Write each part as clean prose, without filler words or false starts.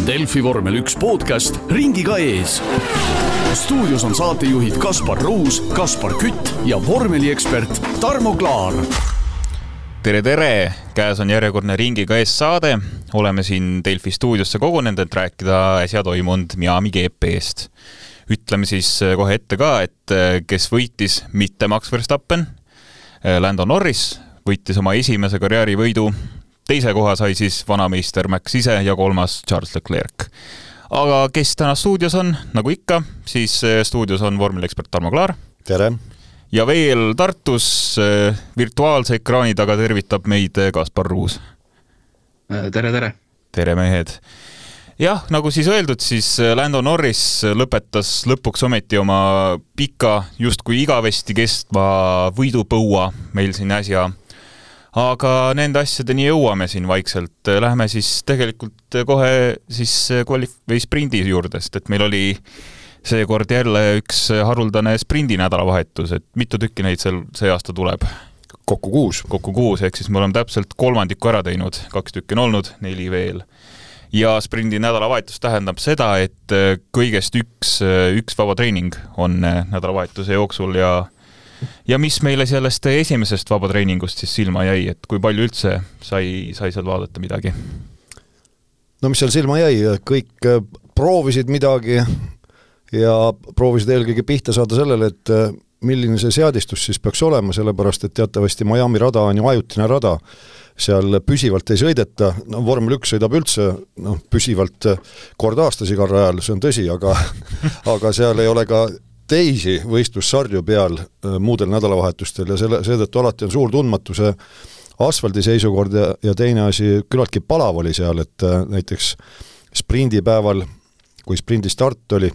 Delfi vormel 1 podcast ringiga ees. Stuudios on saatejuhid Kaspar Ruus, Kaspar Kütt ja vormeliekspert Tarmo Klaar. Tere! Käes on järjekordne ringiga ees saade. Oleme siin Delfi stuudiosse kogunenud, et rääkida äsja toimunud Miami GP-st. Ütleme siis kohe ette ka, et kes võitis mitte Max Verstappen, Lando Norris võitis oma esimese karjäärivõidu, teise koha sai siis vanameister Max ise ja kolmas Charles Leclerc. Aga kes täna stuudios on, nagu ikka, siis stuudios on vormeliekspert Tarmo Klaar. Tere! Ja veel Tartus virtuaalse ekraani taga tervitab meid Kaspar Ruus. Tere! Tere mehed! Jah, nagu siis öeldud, siis Lando Norris lõpetas lõpuks ometi oma pika, justkui igavesti kestva võidupõua meil siin äsja. Aga nende asjadeni jõuame siin vaikselt. Lähme siis tegelikult kohe siis sprindi juurdest, et meil oli seekord jälle üks haruldane sprindi nädalavahetus, et mitu tükki neid see aasta tuleb? Kokku 6, ehk siis me oleme täpselt kolmandiku ära teinud, 2 tükki on olnud, 4 veel. Ja sprindi nädalavahetus tähendab seda, et kõigest üks vaba treening on nädalavahetuse jooksul ja mis meile sellest esimesest vaba treeningust siis silma jäi, et kui palju üldse sai seal vaadata midagi? No mis seal silma jäi, kõik proovisid midagi ja proovisid eelkõige pihta saada sellele, et milline see seadistus siis peaks olema, sellepärast et teatavasti Miami rada on ju ajutine rada, seal püsivalt ei sõideta, vormel 1 sõidab üldse püsivalt kord aastas igal rajal, see on tõsi, aga seal ei ole ka teisi võistlussarju peal muudel nädalavahetustel ja seetõttu alati on suur tundmatuse asfaldi seisukord ja teine asi, küllaltki palav oli seal, et näiteks sprindipäeval, kui sprindi start oli,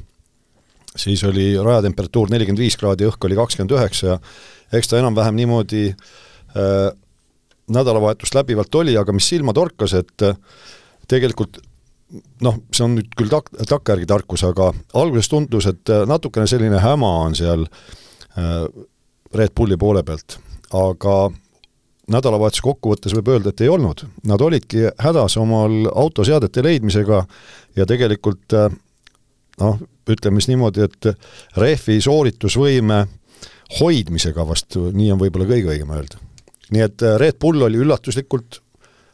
siis oli rajatemperatuur 45 kraadi, õhk oli 29 ja eks ta enam-vähem niimoodi nädalavahetust läbivalt oli, aga mis silma torkas, et tegelikult see on nüüd küll takkajärgi tarkus, aga alguses tundus, et natukene selline häma on seal Red Bulli poole pealt, aga nädalavahetuse kokkuvõttes võib öelda, et ei olnud. Nad olidki hädas omal autoseadete leidmisega ja tegelikult ütleme niimoodi, et rehvi sooritusvõime hoidmisega vastu, nii on võib-olla kõige õigem öelda. Nii et Red Bull oli üllatuslikult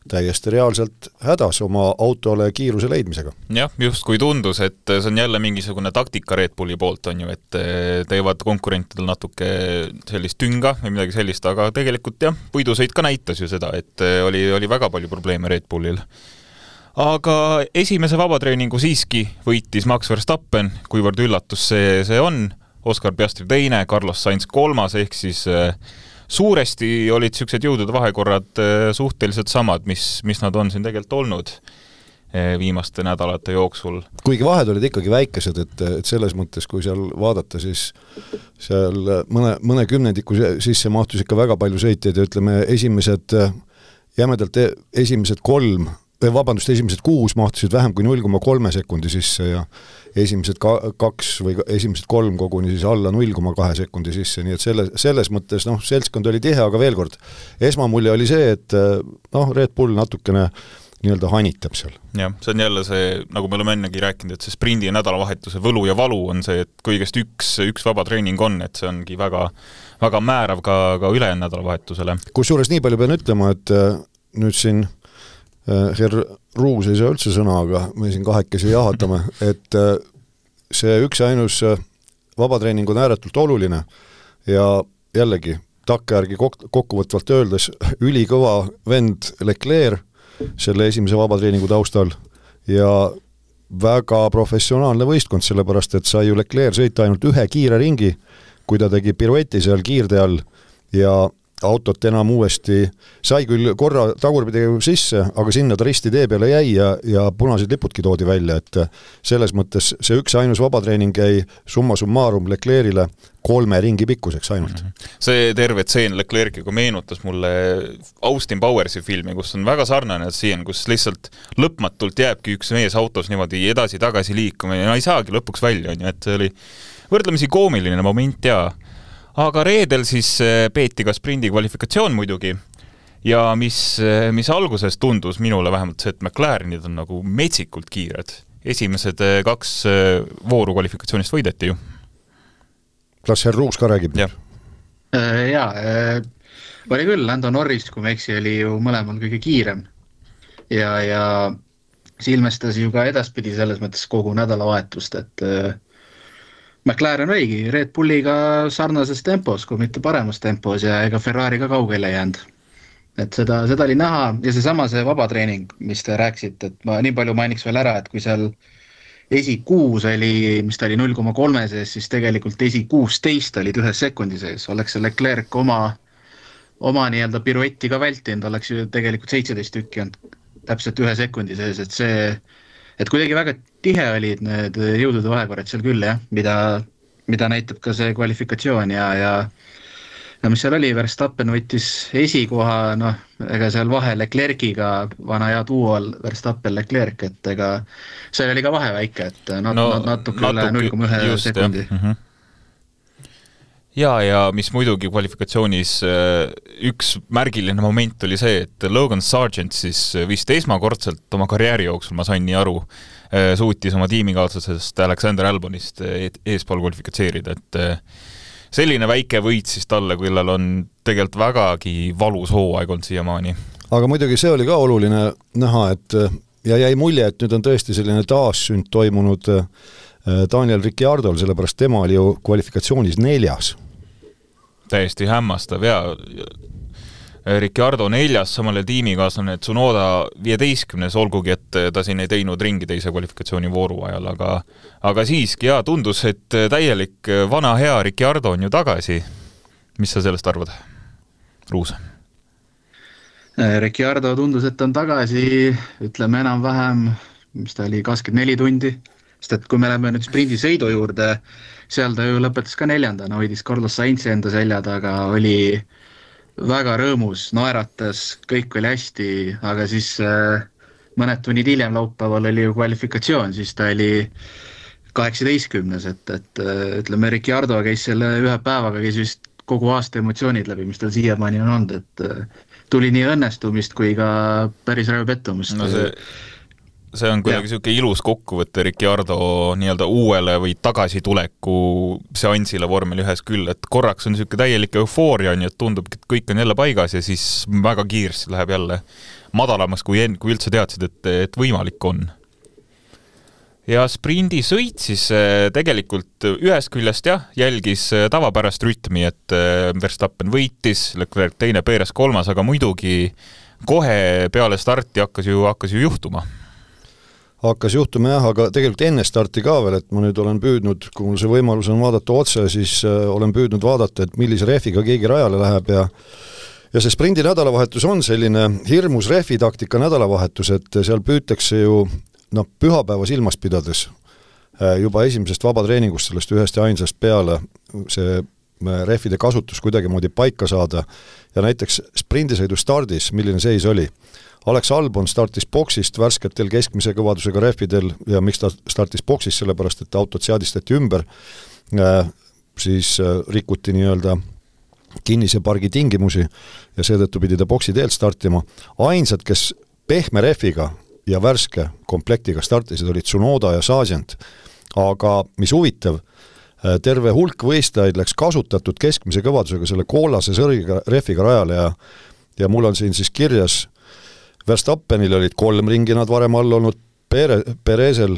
täiesti reaalselt hädas oma autole kiiruse leidmisega. Jah, just kui tundus, et see on jälle mingisugune taktika Red Bulli poolt on ju, et teevad konkurentidel natuke sellist tünga või midagi sellist, aga tegelikult jah, võidusõit ka näitas ju seda, et oli väga palju probleeme Red Bullil. Aga esimese vabatreeningu siiski võitis Max Verstappen, kuivõrd üllatus see on, Oscar Piastri teine, Carlos Sainz 3, ehk siis suuresti olid sellised jõudude vahekorrad suhteliselt samad, mis nad on siin tegelikult olnud viimaste nädalate jooksul. Kuigi vahed olid ikkagi väikesed, et selles mõttes, kui seal vaadata, siis seal mõne kümnendiku sisse mahtus ikka väga palju sõitjaid ja ütleme esimesed 6 mahtusid vähem kui 0,3 sekundi sisse ja esimesed 2 või esimesed 3 koguni siis alla 0,2 sekundi sisse, nii et selles mõttes seltskond oli tihe, aga veel kord, esmamulje oli see, et Red Bull natukene nii-öelda hanitab seal. Jah, see on jälle see, nagu me oleme ennegi rääkinud, et see sprindi ja nädalavahetuse võlu ja valu on see, et kõigest üks vaba treening on, et see ongi väga, väga määrav ka ülejäänud nädalavahetusele. Kusjuures nii palju pean ütlema, et nüüd siin Herr Ruus ei saa üldse sõna, aga me siin kahekesi jahatame, et see üks ja ainus vabatreening on ääretult oluline ja jällegi takkajärgi kokkuvõtvalt öeldes ülikõva vend Leclerc selle esimese vabatreeningu taustal ja väga professionaalne võistkond, sellepärast et sai ju Leclerc sõita ainult ühe kiire ringi, kui ta tegi pirueti seal kiirde all ja autot enam uuesti, sai küll korra tagurpidi sisse, aga sinna ta risti tee peale jäi ja punased lipudki toodi välja, et selles mõttes see üks ainus vabatreening jäi summa summarum Leclerc'ile 3 ringi pikkuseks ainult. See terve tseen Leclerc'iga meenutas mulle Austin Powersi filmi, kus on väga sarnane tseen, kus lihtsalt lõpmatult jääbki üks mees autos niimoodi edasi-tagasi liikuma ja ei saagi lõpuks välja, et see oli võrdlemisi koomiline moment ja aga reedel siis peeti ka sprindi kvalifikatsioon muidugi ja mis alguses tundus minule vähemalt see, et McLarenid on nagu metsikult kiired esimesed 2 vooru kvalifikatsioonist võideti ju. Kas Herr Ruus ka räägib? Oli küll, Lando Norris, kui me eksi, oli ju mõlemal kõige kiirem ja see ilmestas ju ka edaspidi selles mõttes kogu nädalavahetust, et McLaren oligi Red Bulliga sarnases tempos, kui mitte paremas tempos ja ega Ferrari ka kaugele jäänud. Et seda oli näha ja see vabatreening, mis te rääksite, et ma nii palju mainiks veel ära, et kui seal esi 6 oli, mis ta oli 0,3 sees, siis tegelikult esi 16 olid 1 sekundi sees. Oleks see Leclerc oma nii-öelda piruetti ka vältinud, oleks ju tegelikult 17 tükki on täpselt 1 sekundi sees, et kuidagi väga tihe olid need jõudude vahekorrad seal küll, jah, mida näitab ka see kvalifikatsioon ja mis seal oli, Verstappen võttis esikoha, ega seal vahe Leclerciga vana hea duol Verstappen-Leclerc, et ega see oli ka vahe väike, et natuke üle 0,1 sekundi. Ja mis muidugi kvalifikatsioonis üks märgiline moment oli see, et Logan Sargent siis vist esmakordselt oma karjääri jooksul, ma sain nii aru, suutis oma tiimikaaslasest Alexander Albonist eespool kvalifikatseerida, et selline väike võit siis talle, kellel on tegelikult vägagi valus hooaeg olnud siiamaani. Aga muidugi see oli ka oluline näha, et ja jäi mulje, et nüüd on tõesti selline taassünd toimunud Daniel Ricciardol, sellepärast tema oli ju kvalifikatsioonis 4. Täiesti hämmastav ja Ricciardo 4, samale tiimikaaslane Tsunoda 15, olgugi, et ta siin ei teinud ringi teise kvalifikatsiooni vooru ajal, aga siiski tundus, et täielik vana hea Ricciardo on ju tagasi. Mis sa sellest arvad, Ruus? Ricciardo tundus, et on tagasi, ütleme enam-vähem, mis ta oli, 24 tundi, sest et kui me läheme nüüd sprindisõidu juurde, seal ta ju lõpetas ka 4, hoidis Carlos Sainzi enda selja taga, oli väga rõõmus, naeratas, kõik oli hästi, aga siis mõned tunnid hiljem laupäeval oli ju kvalifikatsioon, siis ta oli 18, et ütleme, Ricciardo käis selle 1 päevaga, käis vist kogu aasta emotsioonid läbi, mis tal siiamaani on olnud, et tuli nii õnnestumist kui ka päris rävpettumust. See on kuidagi selline ilus kokkuvõte Ricciardo nii-öelda uuele või tagasituleku seansile vormel 1 küll, et korraks on selline täielik eufooria, et tundub, et kõik on jälle paigas ja siis väga kiiresti läheb jälle madalamas, kui üldse teadsid, et võimalik on. Ja sprindi sõit siis tegelikult ühest küljest jälgis tavapärast rütmi, et Verstappen võitis, Leclerc 2, Perez 3, aga muidugi kohe peale starti hakkas ju juhtuma. Hakkas juhtuma aga tegelikult enne starti ka veel, et ma nüüd olen püüdnud, kui mul see võimalus on vaadata otse, siis olen püüdnud vaadata, et millise rehviga keegi rajale läheb ja see sprindi nädalavahetus on selline hirmus rehvitaktika nädalavahetus, et seal püütakse ju pühapäeva silmas pidades juba esimesest vabatreeningust sellest 1 ja ainsast peale see rehvide kasutus kuidagi moodi paika saada ja näiteks sprindisõidu stardis, milline seis oli. Alex Albon startis boksist värsketel keskmise kõvadusega rehvidel ja miks ta startis boksist, sellepärast et autod seadistati ümber, siis rikuti nii-öelda kinnise pargi tingimusi ja seetõttu pidi ta boksi teelt startima. Ainsad, kes pehme rehviga ja värske komplektiga startisid, olid Tsunoda ja Sargent, aga mis huvitav, terve hulk võistlejaid läks kasutatud keskmise kõvadusega selle koolase sõrgiga rehviga rajale ja mul on siin siis kirjas Verstappenil olid 3 ringi nad varem all olnud, Perezil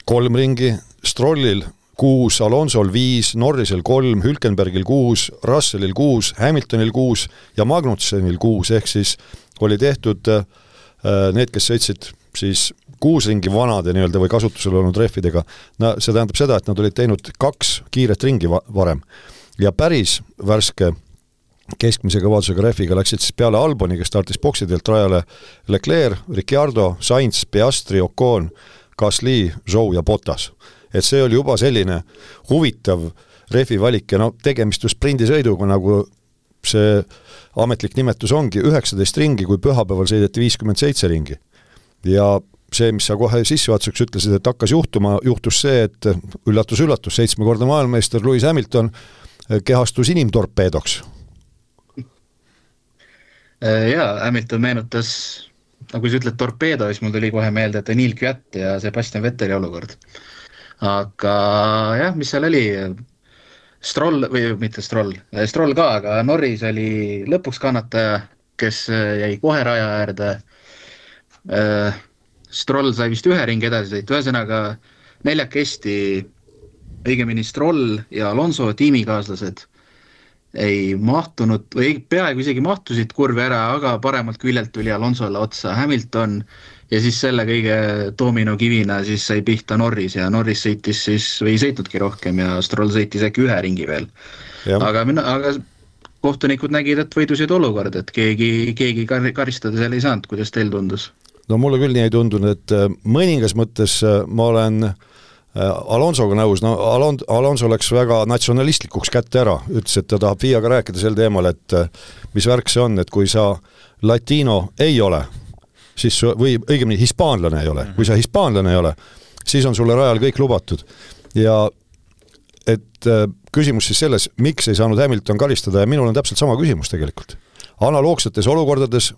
3 ringi, Strollil 6, Alonsol 5, Norrisel 3, Hülkenbergil 6, Russellil 6, Hamiltonil 6 ja Magnussenil 6, ehk siis oli tehtud need, kes sõitsid siis 6 ringi vanade nii-öelda või kasutusel olnud rehvidega. See tähendab seda, et nad olid teinud 2 kiiret ringi varem ja päris värske keskmise kõvadusega rehviga läksid siis peale Alboni, kes startis boksidelt rajale Leclerc, Ricciardo, Sainz, Piastri, Ocon, Gasly, Zhou ja Bottas. Et see oli juba selline huvitav rehvi valik ja tegemist ju sprindisõiduga, nagu see ametlik nimetus ongi, 19 ringi, kui pühapäeval sõideti 57 ringi. Ja see, mis sa kohe sissejuhatuseks ütlesid, et hakkas juhtus see, et üllatus, 7-kordne maailmameister Lewis Hamilton kehastus inimtorpeedoks. Ja Hamilton meenutas kui sa ütled torpeedo, siis mul tuli kohe meelde Daniil Kvyat ja Sebastian Vetteli olukord. Aga jah, mis seal oli? Stroll, või mitte Stroll ka, aga Norris oli lõpuks kannataja, kes jäi kohe raja äärde. Stroll sai vist ühe ringi edasi sõita, ühesõnaga neljakesti, õigemini Stroll ja Alonso tiimikaaslased ei mahtunud, või peaaegu isegi mahtusid kurvi ära, aga paremalt küljelt tuli Alonsole otsa Hamilton ja siis selle kõige dominokivina siis sai pihta Norris ja Norris sõitis siis, või ei sõitnudki rohkem ja Stroll sõitis äkki ühe ringi veel. Aga kohtunikud nägid, et võidusid olukord, et keegi karistada seal ei saanud, kuidas teil tundus? No mulle küll nii ei tundunud, et mõningas mõttes ma olen Alonsoga nõus, no Alonso läks väga natsionalistlikuks kätte ära, ütles, et ta tahab FIA-ga rääkida sel teemal, et mis värk see on, et kui sa latino ei ole, siis, või õigemini hispaanlane ei ole, kui sa hispaanlane ei ole, siis on sulle rajal kõik lubatud. Ja et küsimus siis selles, miks ei saanud Hamilton karistada ja minul on täpselt sama küsimus tegelikult. Analoogsetes olukordades,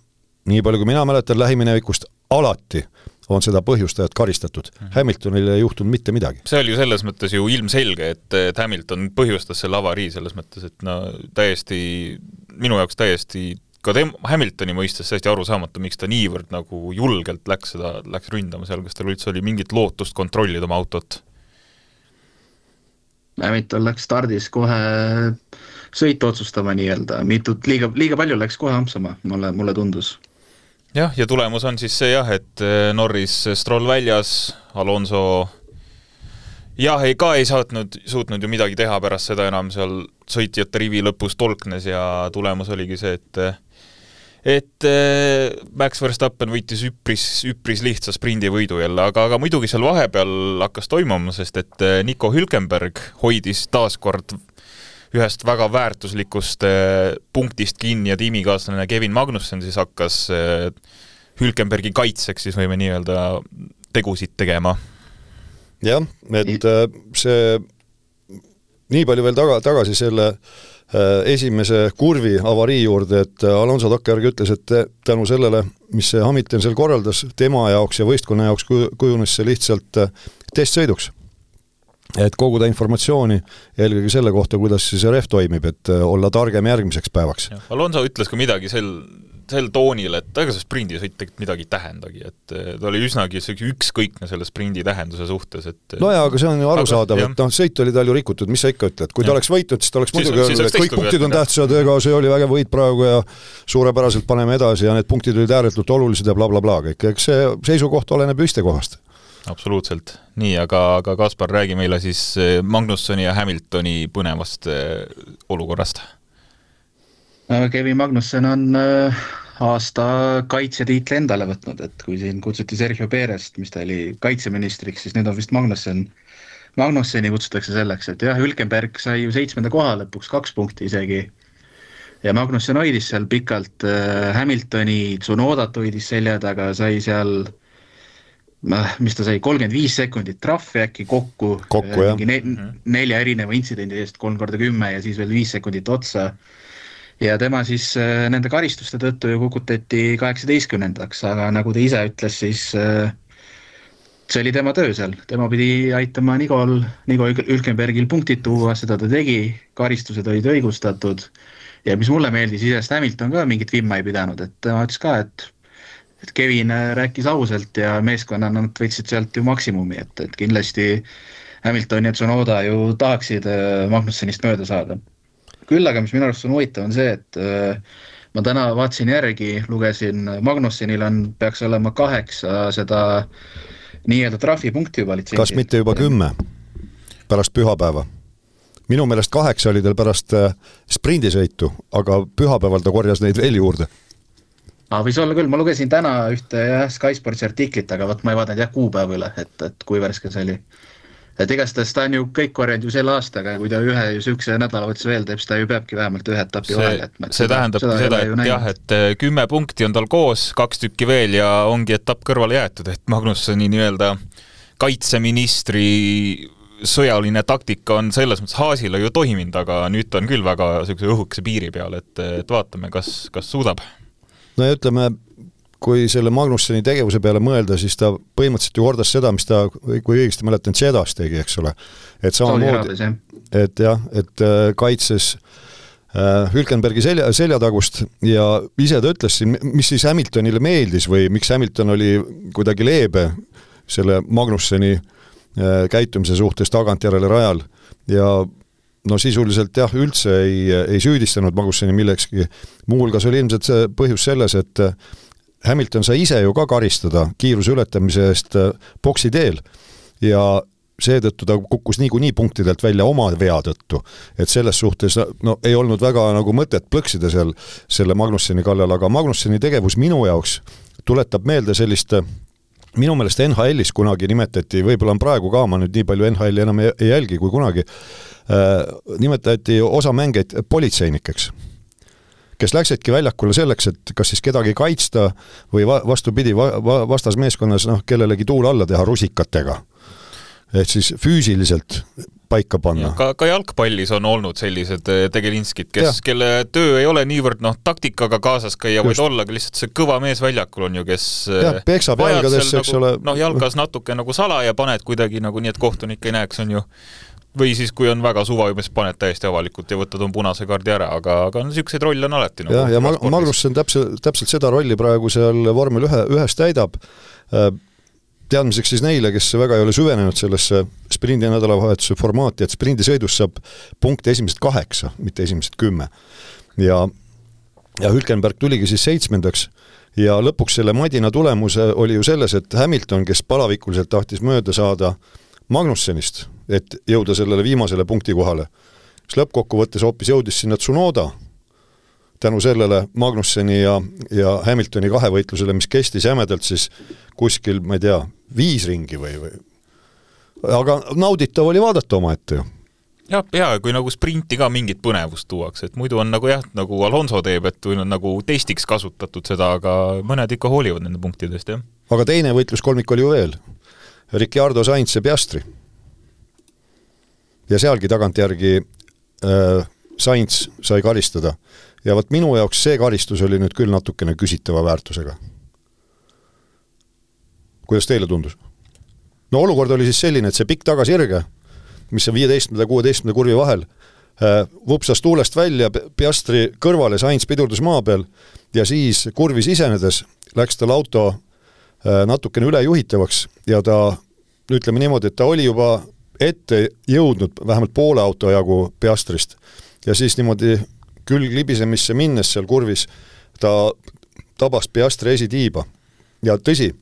nii palju kui mina mäletan lähiminevikust, alati on seda põhjustajat karistatud. Hamiltonil ei juhtunud mitte midagi. See oli ju selles mõttes ju ilmselge, et Hamilton põhjustas selle avarii selles mõttes, et no täiesti, minu jaoks täiesti, ka Hamiltoni mõistes täiesti aru saamata, miks ta niivõrd nagu julgelt läks ründama seal, kas tal üldse oli mingit lootust kontrollida oma autot? Hamilton läks stardis kohe sõitu otsustama nii-öelda, liiga palju läks kohe ampsama, mulle tundus. Jah, ja tulemus on siis see et Norris Stroll väljas, Alonso ei suutnud ju midagi teha pärast seda enam seal sõitjate rivi lõpus tolknes ja tulemus oligi see, et Max Verstappen võitis üpris lihtsa sprindivõidu jälle, aga muidugi seal vahepeal hakkas toimuma, sest et Nico Hülkenberg hoidis taaskord ühest väga väärtuslikust punktist kinni ja tiimikaaslane Kevin Magnussen siis hakkas Hülkenbergi kaitseks, siis võime nii öelda tegusid tegema. Jah, et see nii palju veel tagasi selle esimese kurvi avarii juurde, et Alonso takkajärgi ütles, et tänu sellele, mis see Hamilton seal korraldas tema jaoks ja võistkonna jaoks kujunes see lihtsalt testsõiduks. Et koguda informatsiooni eelkõige selle kohta, kuidas see ref toimib, et olla targem järgmiseks päevaks. Alonso ütles ka midagi sel toonil, et ega see sprindisõit tegelikult midagi tähendagi, et ta oli üsnagi ükskõikne selle sprindi tähenduse suhtes. No jaa, aga see on ju arusaadav, et sõit oli tal ju rikutud, mis sa ikka ütled, kui ta oleks võitnud, siis ta oleks muidugi öelnud, et kõik punktid on tähtsad, ega see oli vägev võit praegu ja suurepäraselt paneme edasi ja need punktid olid ääretult olulised ja blablabla kõik, eks see seisukoht oleneb ju istekohast. Absoluutselt. Nii, aga Kaspar, räägi meile siis Magnussoni ja Hamiltoni põnevast olukorrast. Kevin Magnussen on aasta kaitsetiitli endale võtnud, et kui siin kutsuti Sergio Perest, mis ta oli kaitseministriks, siis nüüd on vist Magnusseni kutsutakse selleks, et jah, Hülkenberg sai ju 7. koha lõpuks 2 punkti isegi ja Magnussen hoidis seal pikalt Hamiltoni, Tsunodat hoidis selja taga, sai seal mis ta sai, 35 sekundit trahvi äkki kokku 4 erineva intsidendi eest 3x10 ja siis veel 5 sekundit otsa. Ja tema siis nende karistuste tõttu ju kukutati 18-ndaks, aga nagu ta ise ütles, siis see oli tema töö seal. Tema pidi aitama Nico Hülkenbergil punktid tuua, seda ta tegi, karistused olid õigustatud ja mis mulle meeldis, isest Hamilton ka mingit vimma ei pidanud, et tema ütles ka, et Kevin rääkis ausalt ja meeskonna nad võtsid sealt ju maksimumi, et kindlasti Hamilton ja Tsunoda ju tahaksid Magnussenist mööda saada. Küll aga mis minu arust on huvitav on see, et ma täna vaatsin järgi, lugesin, Magnussenil peaks olema 8 seda nii-öelda trahvipunkti juba litsentsi. Kas mitte juba 10 pärast pühapäeva? Minu meelest 8 oli teil pärast sprindisõitu, aga pühapäeval ta korjas neid veel juurde. Võis olla küll, ma lugesin täna ühte Sky Sportsi artiklit, aga ma ei vaadanud kuupäeva üle, et kui värske see oli. Et igastahes ta on ju kõik korjanud ju selle aastaga ja kui ta ühe sükse nädala võttes veel teeb, siis ta ju peabki vähemalt ühe etapi vahel. See tähendabki seda, et jah, et 10 punkti on tal koos, 2 tükki veel ja ongi etapp kõrvale jäetud, et Magnussoni nii-öelda kaitseministri sõjaline taktika on selles mõttes Haasile ju toiminud, aga nüüd on küll väga õhukese piiri peal, et vaatame, kas suudab. No ja ütleme, kui selle Magnusseni tegevuse peale mõelda, siis ta põhimõtteliselt ju kordas seda, mis ta, kui õigesti mäletan, Jeddas tegi, eks ole. Et samamoodi, et jah, et kaitses Hülkenbergi seljatagust ja ise ta ütles siin, mis siis Hamiltonile meeldis või miks Hamilton oli kuidagi leebe selle Magnusseni käitumise suhtes tagantjärele rajal ja no sisuliselt jah, üldse ei süüdistanud Magnusseni millekski. Muuhulgas oli ilmselt see põhjus selles, et Hamilton sai ise ju ka karistada kiiruse ületamise eest boksi teel ja seetõttu ta kukkus niikuinii punktidelt välja oma vea tõttu, et selles suhtes no, ei olnud väga nagu mõtet plõksida seal selle Magnusseni kallal, aga Magnusseni tegevus minu jaoks tuletab meelde sellist, minu meelest NHL-is kunagi nimetati, võib-olla on praegu ka, ma nüüd nii palju NHL-i enam ei jälgi kui kunagi, nimetati osa mängeid politseinikeks, kes läksidki väljakule selleks, et kas siis kedagi kaitsta või vastupidi vastasmeeskonnas kellelegi tuul alla teha rusikatega. Et siis füüsiliselt paika panna. Ka jalgpallis on olnud sellised tegelinskid, kelle töö ei ole niivõrd taktikaga kaasas käia, vaid olla lihtsalt see kõva mees väljakul on ju, kes peksab jalgadesse, eks ole. Jalgas natuke nagu sala ja paned kuidagi nagu nii, et kohtunik ei näeks on ju. Või siis, kui on väga suva, mis paned täiesti avalikult ja võtad on punase kaardi ära, aga niisuguseid rolle on alati. Ja Magnussen täpselt seda rolli praegu seal vormel ühes täidab. Teadmiseks siis neile, kes väga ei ole süvenenud sellesse sprindi ja nädalavahetuse formaati, et sprindisõidus saab punkte esimesed 8, mitte esimesed 10. Ja Hülkenberg tuligi siis 7. ja lõpuks selle madina tulemuse oli ju selles, et Hamilton, kes palavikuliselt tahtis mööda saada Magnussenist, et jõuda sellele viimasele punkti kohale, siis lõppkokkuvõttes hoopis jõudis sinna Tsunoda tänu sellele Magnusseni ja Hamiltoni kahevõitlusele, mis kestis jämedalt siis kuskil, ma ei tea, 5 ringi või. Aga nauditav oli vaadata oma ette ju. Ja kui nagu sprinti ka mingit põnevust tuuaks, et muidu on nagu jah, nagu Alonso teeb, et või on nagu testiks kasutatud seda, aga mõned ikka hoolivad nende punktidest, jah. Aga teine võitluskolmik oli ju veel. Ricciardo, Sainz ja Piastri. Ja sealgi tagantjärgi Sainz sai karistada. Ja võt minu jaoks see karistus oli nüüd küll natukene küsitava väärtusega. Kuidas teile tundus? No olukord oli siis selline, et see pikk tagasirge, mis on 15. ja 16. kurvi vahel, vupsas tuulest välja, Piastri kõrvale, Sainz pidurdus maa peal ja siis kurvis isenedes läks tal auto natukene ülejuhitavaks ja ta, ütleme niimoodi, et ta oli juba ette jõudnud vähemalt poole auto jagu Piastrist ja siis niimoodi külg libisemisse minnes seal kurvis ta tabas Piastri esitiiba ja tõsi,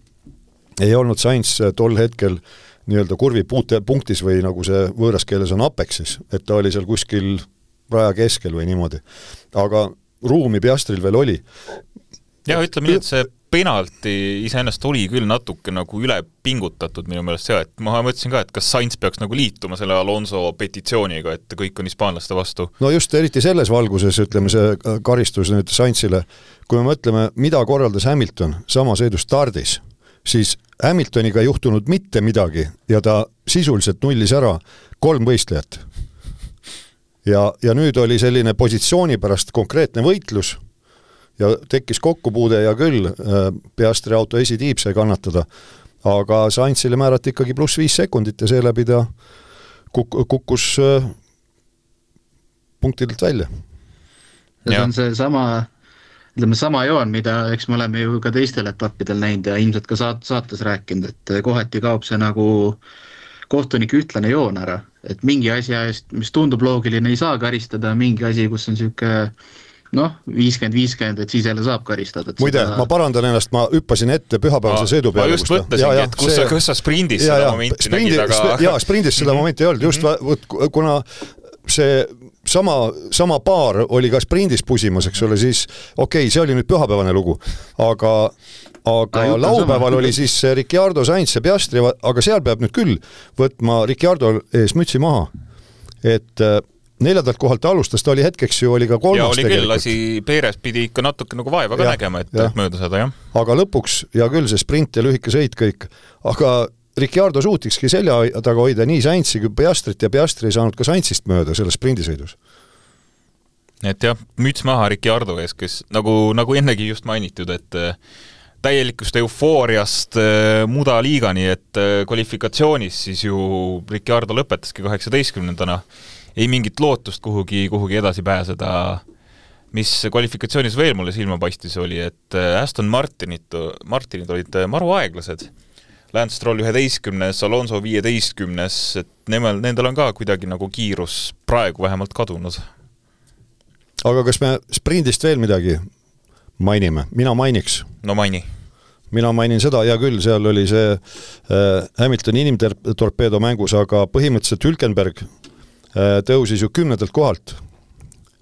ei olnud Sainz tol hetkel nii-öelda kurvi punktis või nagu see võõras keeles on apexis, et ta oli seal kuskil raja keskel või niimoodi. Aga ruumi Piastril veel oli. Ja ütleme nii, et see penalti iseennast oli küll natuke nagu üle pingutatud minu meelest see, et ma mõtlesin ka, et kas Sainz peaks nagu liituma selle Alonso petitsiooniga, et kõik on hispaanlaste vastu. No just eriti selles valguses, ütleme see karistus nüüd Sainzile, kui me mõtleme, mida korraldas Hamilton sama sõidu stardis, siis Hamiltoniga ei juhtunud mitte midagi ja ta sisuliselt nullis ära 3 võistlejat. Ja nüüd oli selline positsiooni pärast konkreetne võitlus ja tekkis kokkupuude ja küll Piastri auto esitiib sai kannatada, aga Sainzile määrati ikkagi +5 sekundit ja seeläbi ta kukkus punktidelt välja. Ja see on see sama joon, mida eks me oleme ju ka teistel etappidel näinud ja ilmselt ka saates rääkinud, et kohati kaob see nagu kohtunik ütlane joon ära, et mingi asja eest, mis tundub loogiline, ei saa karistada, mingi asi, kus on siuke 50-50, et siis jälle saab karistada. Muide, ma parandan ennast, ma hüppasin ette pühapäevase sõidu peale. Ma just mõtlesingi, et kus sa sprindis seda momenti nägid, aga... Jaa, sprindis seda momenti ei olnud, just kuna see sama paar oli ka sprindis pusimas, eks ole, siis okei, see oli nüüd pühapäevane lugu, aga laupäeval oli siis Ricciardo, Sainz ja Piastri, aga seal peab nüüd küll võtma Ricciardo ees mütsi maha, et 4. kohalt ta alustas, ta oli hetkeks ju, oli ka 3. Ja oli küll, lasi Peeres pidi ikka natuke nagu vaeva ka nägema, et mööda seda, jah. Aga lõpuks, ja küll see sprint ja lühike sõit kõik, aga Ricciardo suutikski selja taga hoida nii Sainzi kui Piastrit ja Piastri ei saanud ka Sainzist mööda selles sprindisõidus. Et jah, müts maha Ricciardo ees, kes nagu ennegi just mainitud, et täielikust eufooriast mudaliigani, et kvalifikatsioonis siis ju Ricciardo lõpetaski 18-ndana. Ei mingit lootust kuhugi edasi pääseda. Mis kvalifikatsioonis veel mulle silma paistis oli, et Aston Martinid olid maru aeglased. Lance Stroll 11, Alonso 15, et nendel on ka kuidagi nagu kiirus praegu vähemalt kadunud. Aga kas me sprindist veel midagi mainime? Mina mainiks. No maini. Mina mainin seda, ja küll, seal oli see Hamiltoni inimtorpeedo mängus, aga põhimõtteliselt Hülkenberg tõusis ju 10. kohalt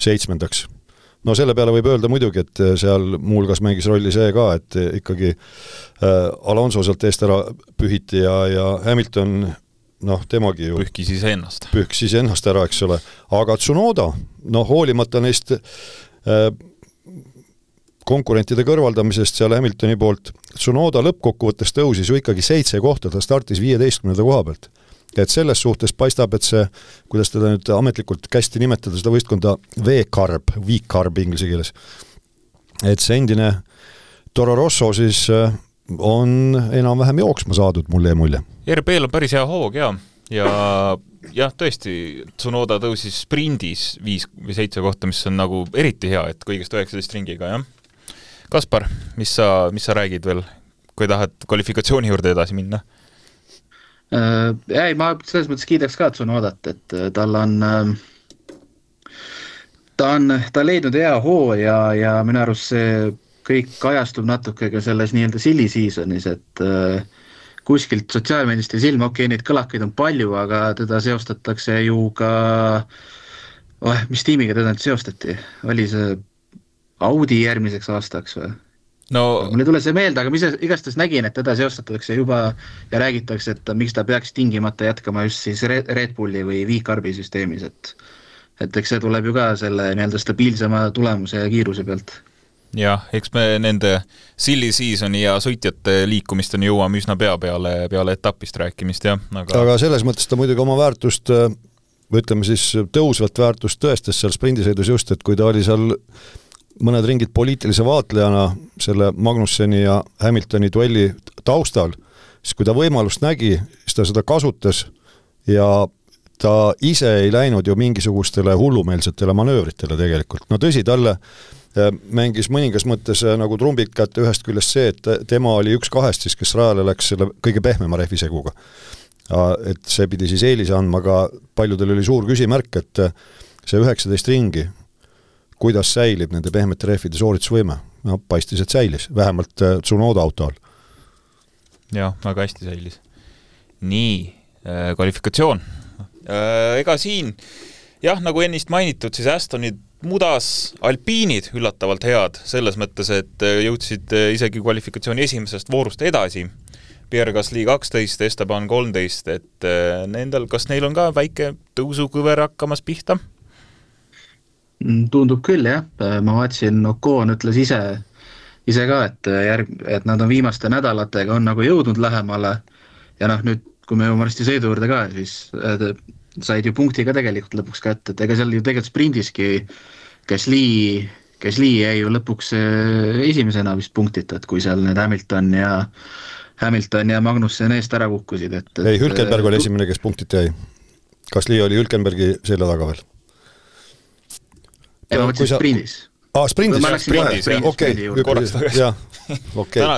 7. No selle peale võib öelda muidugi, et seal muulgas mängis rolli see ka, et ikkagi Alonso sealt eest ära pühiti ja Hamilton, temagi ju pühkis ennast ära, eks ole. Aga Tsunoda, hoolimata neist konkurentide kõrvaldamisest seal Hamiltoni poolt, Tsunoda lõppkokkuvõttes tõusis ju ikkagi 7 kohta, ta startis 15. koha pealt. Et selles suhtes paistab, et see, kuidas teda nüüd ametlikult kästi nimetada, seda võistkonda V-Carb inglise keeles. Et see endine Toro Rosso siis on enam-vähem jooksma saadud, mulle ja mulje. RBL on päris hea hoog, ja tõesti, Tsunoda tõusis sprindis 5 või 7 kohta, mis on nagu eriti hea, et kõigest 19 ringiga, jah. Kaspar, mis sa räägid veel, kui tahad kvalifikatsiooni juurde edasi minna? Ei, ma selles mõttes kiidaks ka Tsunodat, et tal on ta leidnud hea hoo ja minu arust see kõik kajastub natuke ka selles nii-öelda silly seasonis, et kuskilt sotsiaalmeedist ja silma, neid kõlakaid on palju, aga teda seostatakse ju ka mis tiimiga teda nüüd seostati? Oli see Audi järgmiseks aastaks või? No, mul ei tule see meelde, aga mis igastahes nägin, et teda seostatakse juba ja räägitakse, et miks ta peaks tingimata jätkama just siis Red Bulli või V-Carbi süsteemis, et eks see tuleb ju ka selle nii-öelda stabiilsema tulemuse ja kiiruse pealt. Jah, eks me nende silly seasoni ja sõitjate liikumisteni jõuame üsna peale etapist rääkimist, jah. Aga selles mõttes ta muidugi oma väärtust, ütleme siis tõusvat väärtust tõestas seal sprindisõidus just, et kui ta oli seal mõned ringid poliitilise vaatlejana selle Magnusseni ja Hamiltoni duelli taustal, siis kui ta võimalust nägi, siis ta seda kasutas ja ta ise ei läinud ju mingisugustele hullumeelsetele manöövritele tegelikult. No tõsi, talle mängis mõningas mõttes nagu trumbid kätte ühest küljest see, et tema oli 1-2 siis, kes rajale läks selle kõige pehmema rehviseguga. Et see pidi siis eelise andma, aga paljudel oli suur küsimärk, et see 19 ringi kuidas säilib nende pehmete rehvide sooritusvõime. No, paistis, et säilis, vähemalt Tsunoda auto all. Jah, väga hästi säilis. Nii, kvalifikatsioon. Ega siin, jah, nagu ennist mainitud, siis Astonid mudas alpiinid üllatavalt head, selles mõttes, et jõudsid isegi kvalifikatsiooni esimesest voorust edasi. Pierre Gasly 12, Esteban 13, et kas neil on ka väike tõusukõver hakkamas pihta? Tundub küll, jah. Ma vaatsin, Ocon ütles ise ka, et nad on viimaste nädalatega on nagu jõudnud lähemale ja nüüd, kui me jõuame varsti sõidu juurde ka, siis said ju punkti ka tegelikult lõpuks kätte, et ega seal ju tegelikult sprindiski Gasly jäi ju lõpuks esimesena vist punktita, et kui seal need Hamilton ja Magnussen eest ära kukkusid. Ei, Hülkenberg oli esimene, kes punktit jäi. Gasly oli Hülkenbergi selja taga veel. Ei, ma mõtlesin sprindis. Sprindis.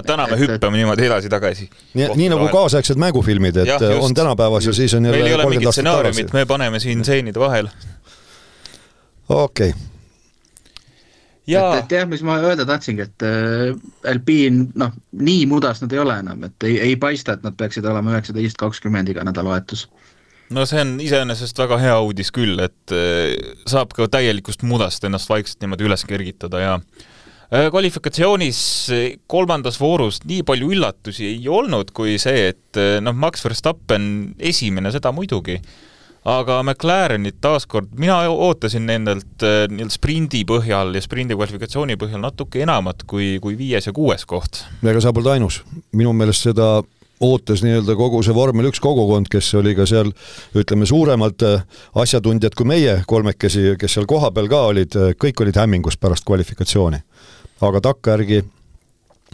Täna me hüppame niimoodi edasi-tagasi. Nii nagu kaasaegsed mängufilmid, et on tänapäevas ja siis on jälle 30 aastat tagasi. Meil ei ole mingit stsenaariumit, me paneme siin seenide vahel. Okei. Et jah, mis ma öelda tahtsingi, et Alpine, nii mudas nad ei ole enam, et ei paista, et nad peaksid olema 19-20 iga nädalavahetus. No see on iseenesest väga hea uudis küll, et saab ka täielikust mudast ennast vaikselt niimoodi üles kergitada ja kvalifikatsioonis 3. voorus nii palju üllatusi ei olnud kui see, et Max Verstappen esimene seda muidugi, aga McLarenit taaskord, mina ootasin nendelt sprindi põhjal ja sprindi kvalifikatsiooni põhjal natuke enamat kui 5. ja 6. koht. Ega sa polnud ainus. Minu meelest seda ootas nii-öelda kogu see Vormel 1 kogukond, kes oli ka seal, ütleme, suuremad asjatundjad kui meie kolmekesi, kes seal koha peal ka olid, kõik olid hämmingus pärast kvalifikatsiooni. Aga takkajärgi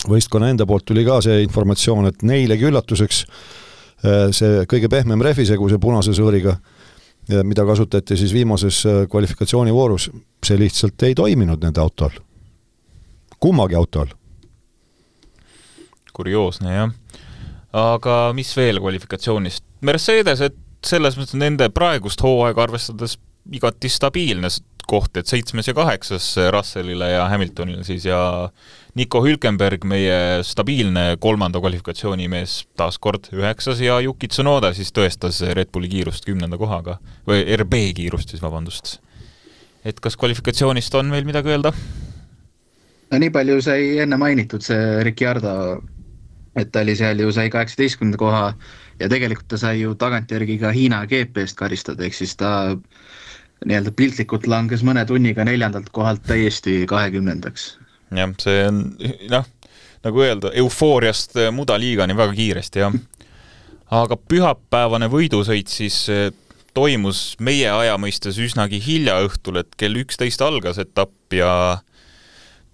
võistkonna enda poolt tuli ka see informatsioon, et neilegi üllatuseks see kõige pehmem rehvisegu, see punase sõõriga, mida kasutati siis viimases kvalifikatsioonivoorus, see lihtsalt ei toiminud nende autol. Kummagi autol. Kurioosne, jah. Aga mis veel kvalifikatsioonist? Mercedes, et selles mõttes nende praegust hooaega arvestades igati stabiilne koht, et 7. ja 8. Russellile ja Hamiltonile siis ja Nico Hülkenberg, meie stabiilne 3. kvalifikatsioonimees taas kord 9. ja Yuki Tsunoda siis tõestas Red Bulli kiirust 10. kohaga või RB kiirust siis, vabandust. Et kas kvalifikatsioonist on veel midagi öelda? No nii palju sai enne mainitud see Ricciardo, et ta oli seal ju sai 18. koha ja tegelikult ta sai ju tagantjärgi ka Hiina GP-st karistada, ehk siis ta nii-öelda piltlikult langes mõne tunniga 4. kohalt täiesti 20. Jah, see on, nagu öelda, eufooriast mudaliigani väga kiiresti, jah. Aga pühapäevane võidusõit siis toimus meie aja mõistes üsnagi hilja õhtul, et kell 11 algas etapp ja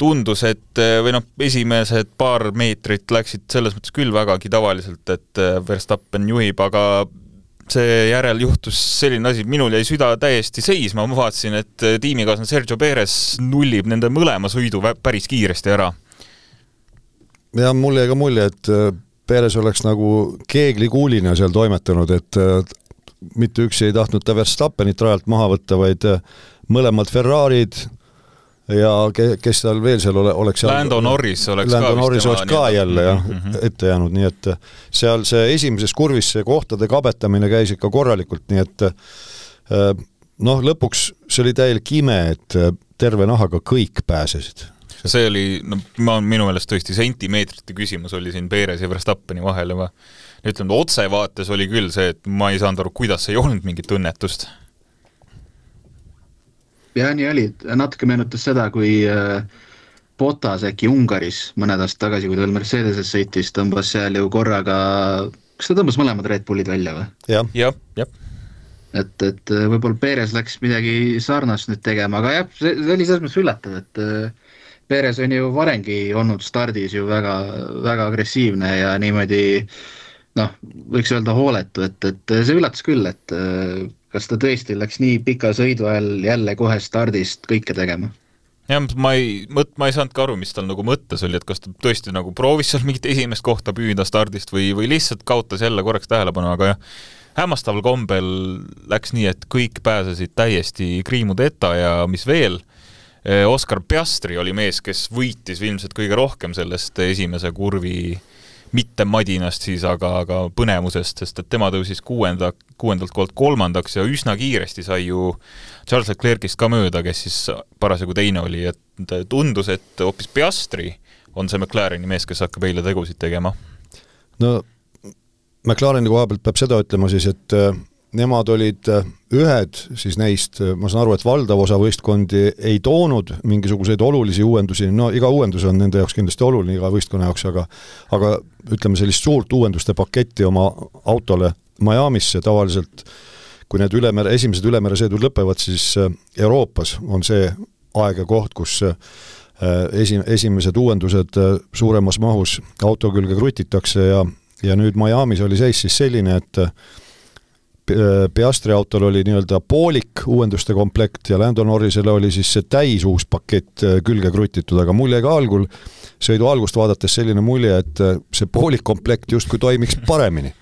tundus, et esimesed paar meetrit läksid selles mõttes küll vägagi tavaliselt, et Verstappen juhib, aga see järel juhtus selline asi, minul jäi süda täiesti seisma, ma vaatasin, et tiimikaaslane Sergio Perez nullib nende mõlema sõidu päris kiiresti ära. Ja mul jäi ka mulje, et Perez oleks nagu keeglikuulina seal toimetanud, et mitte üksi ei tahtnud ta Verstappenit rajalt maha võtta, vaid mõlemad Ferrarid ja kes tal veel seal oleks Lando Norris oleks ka jälle ette jäänud, nii et seal see esimeses kurvis see kohtade kabetamine käis ikka korralikult, nii et lõpuks see oli täielik ime, et terve nahaga kõik pääsesid. See oli, minu meelest tõesti sentimeetrite küsimus oli siin Perez ja Verstappeni vahel ja ma ütlen, otsevaates oli küll see, et ma ei saanud aru, kuidas ei olnud mingit õnnetust. Ja nii oli, natuke meenutas seda, kui Bottas äkki Ungaris mõned aastad tagasi, kui ta veel Mercedeses sõitis, tõmbas seal ju korraga, kas ta tõmbas mõlemad Red Bullid välja või? Jah. Et võib-olla Perez läks midagi sarnast nüüd tegema, aga jah, see oli selles mõttes üllatav, et Perez on ju varengi olnud stardis ju väga, väga agressiivne ja niimoodi, võiks öelda hooletu, et see üllatas küll, et kas ta tõesti läks nii pika sõidu ajal jälle kohe stardist kõike tegema? Jah, ma ei saanud ka aru, mis tal nagu mõttes oli, et kas ta tõesti nagu proovis seal mingit esimest kohta püüda stardist või lihtsalt kaotas jälle korraks tähelepanu, aga jah, hämmastaval kombel läks nii, et kõik pääsesid täiesti kriimudeta ja mis veel, Oscar Piastri oli mees, kes võitis ilmselt kõige rohkem sellest esimese kurvi mitte madinast siis, aga põnemusest, sest et tema tõusis 6. kohalt 3. ja üsna kiiresti sai ju Charles Leclerc'ist ka mööda, kes siis parasjagu teine oli, et tundus, et hoopis Piastri on see McLareni mees, kes hakkab eile tegusid tegema. No McLareni koha pealt peab seda ütlema siis, et nemad olid ühed siis neist, ma saan aru, et valdav osa võistkondi ei toonud mingisuguseid olulisi uuendusi, iga uuendus on nende jaoks kindlasti oluline iga võistkonna jaoks, aga ütleme sellist suurt uuenduste paketti oma autole Miamisse tavaliselt, kui need esimesed ülemeresõidud lõpevad, siis Euroopas on see aeg ja koht, kus esimesed uuendused suuremas mahus auto külge krutitakse ja nüüd Miamis oli seis siis selline, et Piastri autol oli nii-öelda poolik uuenduste komplekt ja Lando Norrisele oli siis see täis uus pakett külge krutitud, aga mul jäi ka sõidu algust vaadates selline mulje, et see poolik komplekt justkui toimiks paremini.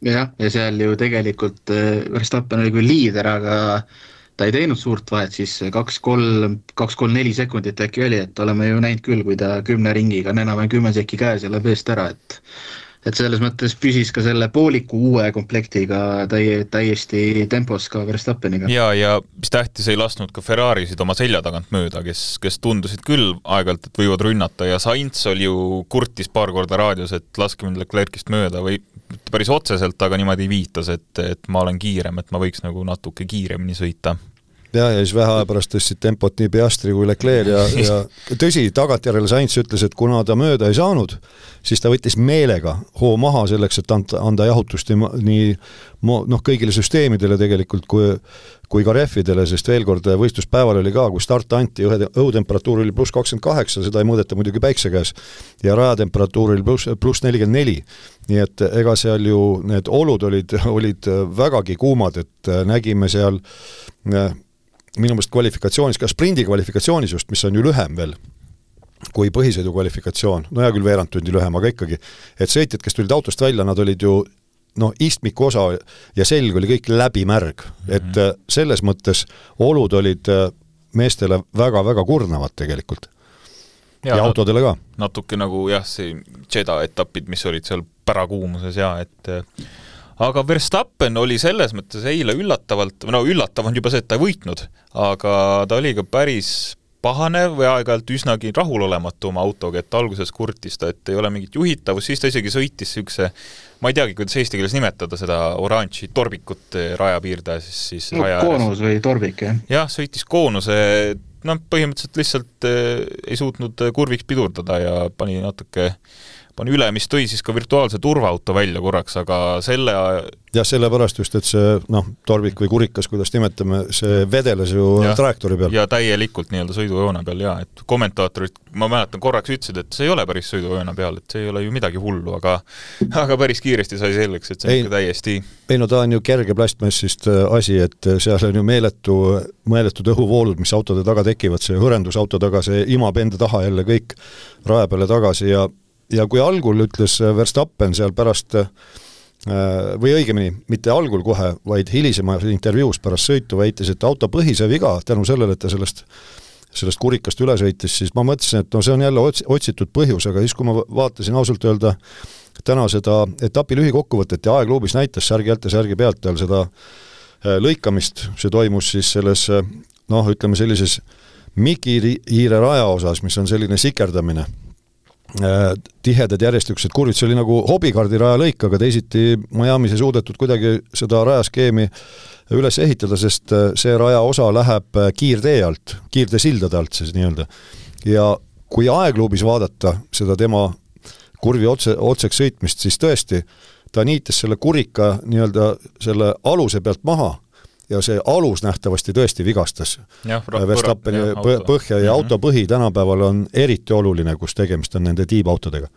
Ja seal ju tegelikult Verstappen oli küll liider, aga ta ei teinud suurt vahet, siis 2-3-4 sekundit äkki oli, et oleme ju näinud küll, kui ta 10 ringiga on enam 10 sekki käes ja läheb eest ära, et selles mõttes püsis ka selle pooliku uue komplektiga täiesti tempos ka Verstappeniga. Ja mis tähtis, ei lasknud ka Ferrarisid oma selja tagant mööda, kes tundusid küll aegalt, et võivad rünnata ja Sainz oli ju kurtis paar korda raadios, et laske mind Leclerc'ist mööda või päris otseselt, aga niimoodi viitas, et ma olen kiirem, et ma võiks nagu natuke kiiremini sõita. ja siis vähe aja pärast tõstsid tempot nii Piastri kui Leclerc ja tõsi, tagantjärele Sainz ütles, et kuna ta mööda ei saanud, siis ta võttis meelega hoo maha selleks, et anda jahutust nii kõigile süsteemidele tegelikult kui ka rehvidele, sest veel kord võistluspäeval oli ka, kui start anti, õhutemperatuur oli +28, seda ei mõõdeta muidugi päikse käes, ja rajatemperatuur oli +44. Nii et ega seal ju need olud olid vägagi kuumad, et nägime seal minu meelest kvalifikatsioonis, ka sprindi kvalifikatsioonis just, mis on ju lühem veel kui põhisõidu kvalifikatsioon, no hea küll veerand tundi lühem, aga ikkagi, et sõitjad, kes tulid autost välja, nad olid ju istmiku osa ja selg oli kõik läbimärg, et selles mõttes olud olid meestele väga-väga kurnavad tegelikult ja autodele ka. Natuke nagu see Jeddah etapid, mis olid seal pärakuumuses et aga Verstappen oli selles mõttes eile üllatavalt, üllatav on juba see, et ta ei võitnud, aga ta oli ka päris pahane või aeg-ajalt üsnagi rahulolematu oma autoga, et alguses kurtis ta, et ei ole mingit juhitavust, siis ta isegi sõitis sükse, ma ei teagi, kuidas eesti keeles nimetada seda oranži torbikut rajapiirde, siis koonus või torbik, jah? Jah, sõitis koonuse, põhimõtteliselt lihtsalt ei suutnud kurviks pidurdada ja pani üle, mis tõi siis ka virtuaalse turvaauto välja korraks, aga sellepärast just, et see torbik või kurikas, kuidas nimetame, see vedeles ju trajektoori peal. Ja täielikult sõidujoone peal, et kommentaatorid, ma mäletan, korraks ütlesid, et see ei ole päris sõidujoone peal, et see ei ole ju midagi hullu, aga päris kiiresti sai selleks, et see on täiesti... Ei, ta on ju kerge plastmassist asi, et seal on ju meeletud õhuvoolud, mis autode taga tekivad, see hõrendus auto taga, see imab enda taha jälle kõik raja peale tagasi ja kui algul ütles Verstappen seal pärast, või õigemini, mitte algul kohe, vaid hilisema intervjuus pärast sõitu väitis, et auto põhise viga tänu sellele, et ta sellest kurikast üle sõitis, siis ma mõtlesin, et see on jälle otsitud põhjus, aga siis kui ma vaatasin ausalt öelda täna seda etapi lühikokkuvõtet ja aegluubis näitas särgi alt ja särgi pealt tal seda lõikamist, see toimus siis selles, ütleme sellises Mikihiire raja osas, mis on selline sikerdamine, tihedad järjestikused kurvid, see oli nagu hobikaardi raja lõik, aga teisiti Miami's ei suudetud kuidagi seda rajaskeemi üles ehitada, sest see raja osa läheb kiirtee alt, kiirtee sildade alt siis nii-öelda. Ja kui aegluubis vaadata seda tema kurvi otseks sõitmist, siis tõesti ta niitas selle kurika nii-öelda selle aluse pealt maha ja see alus nähtavasti tõesti vigastas Verstappeni põhja ja auto põhi tänapäeval on eriti oluline, kus tegemist on nende tiibautodega.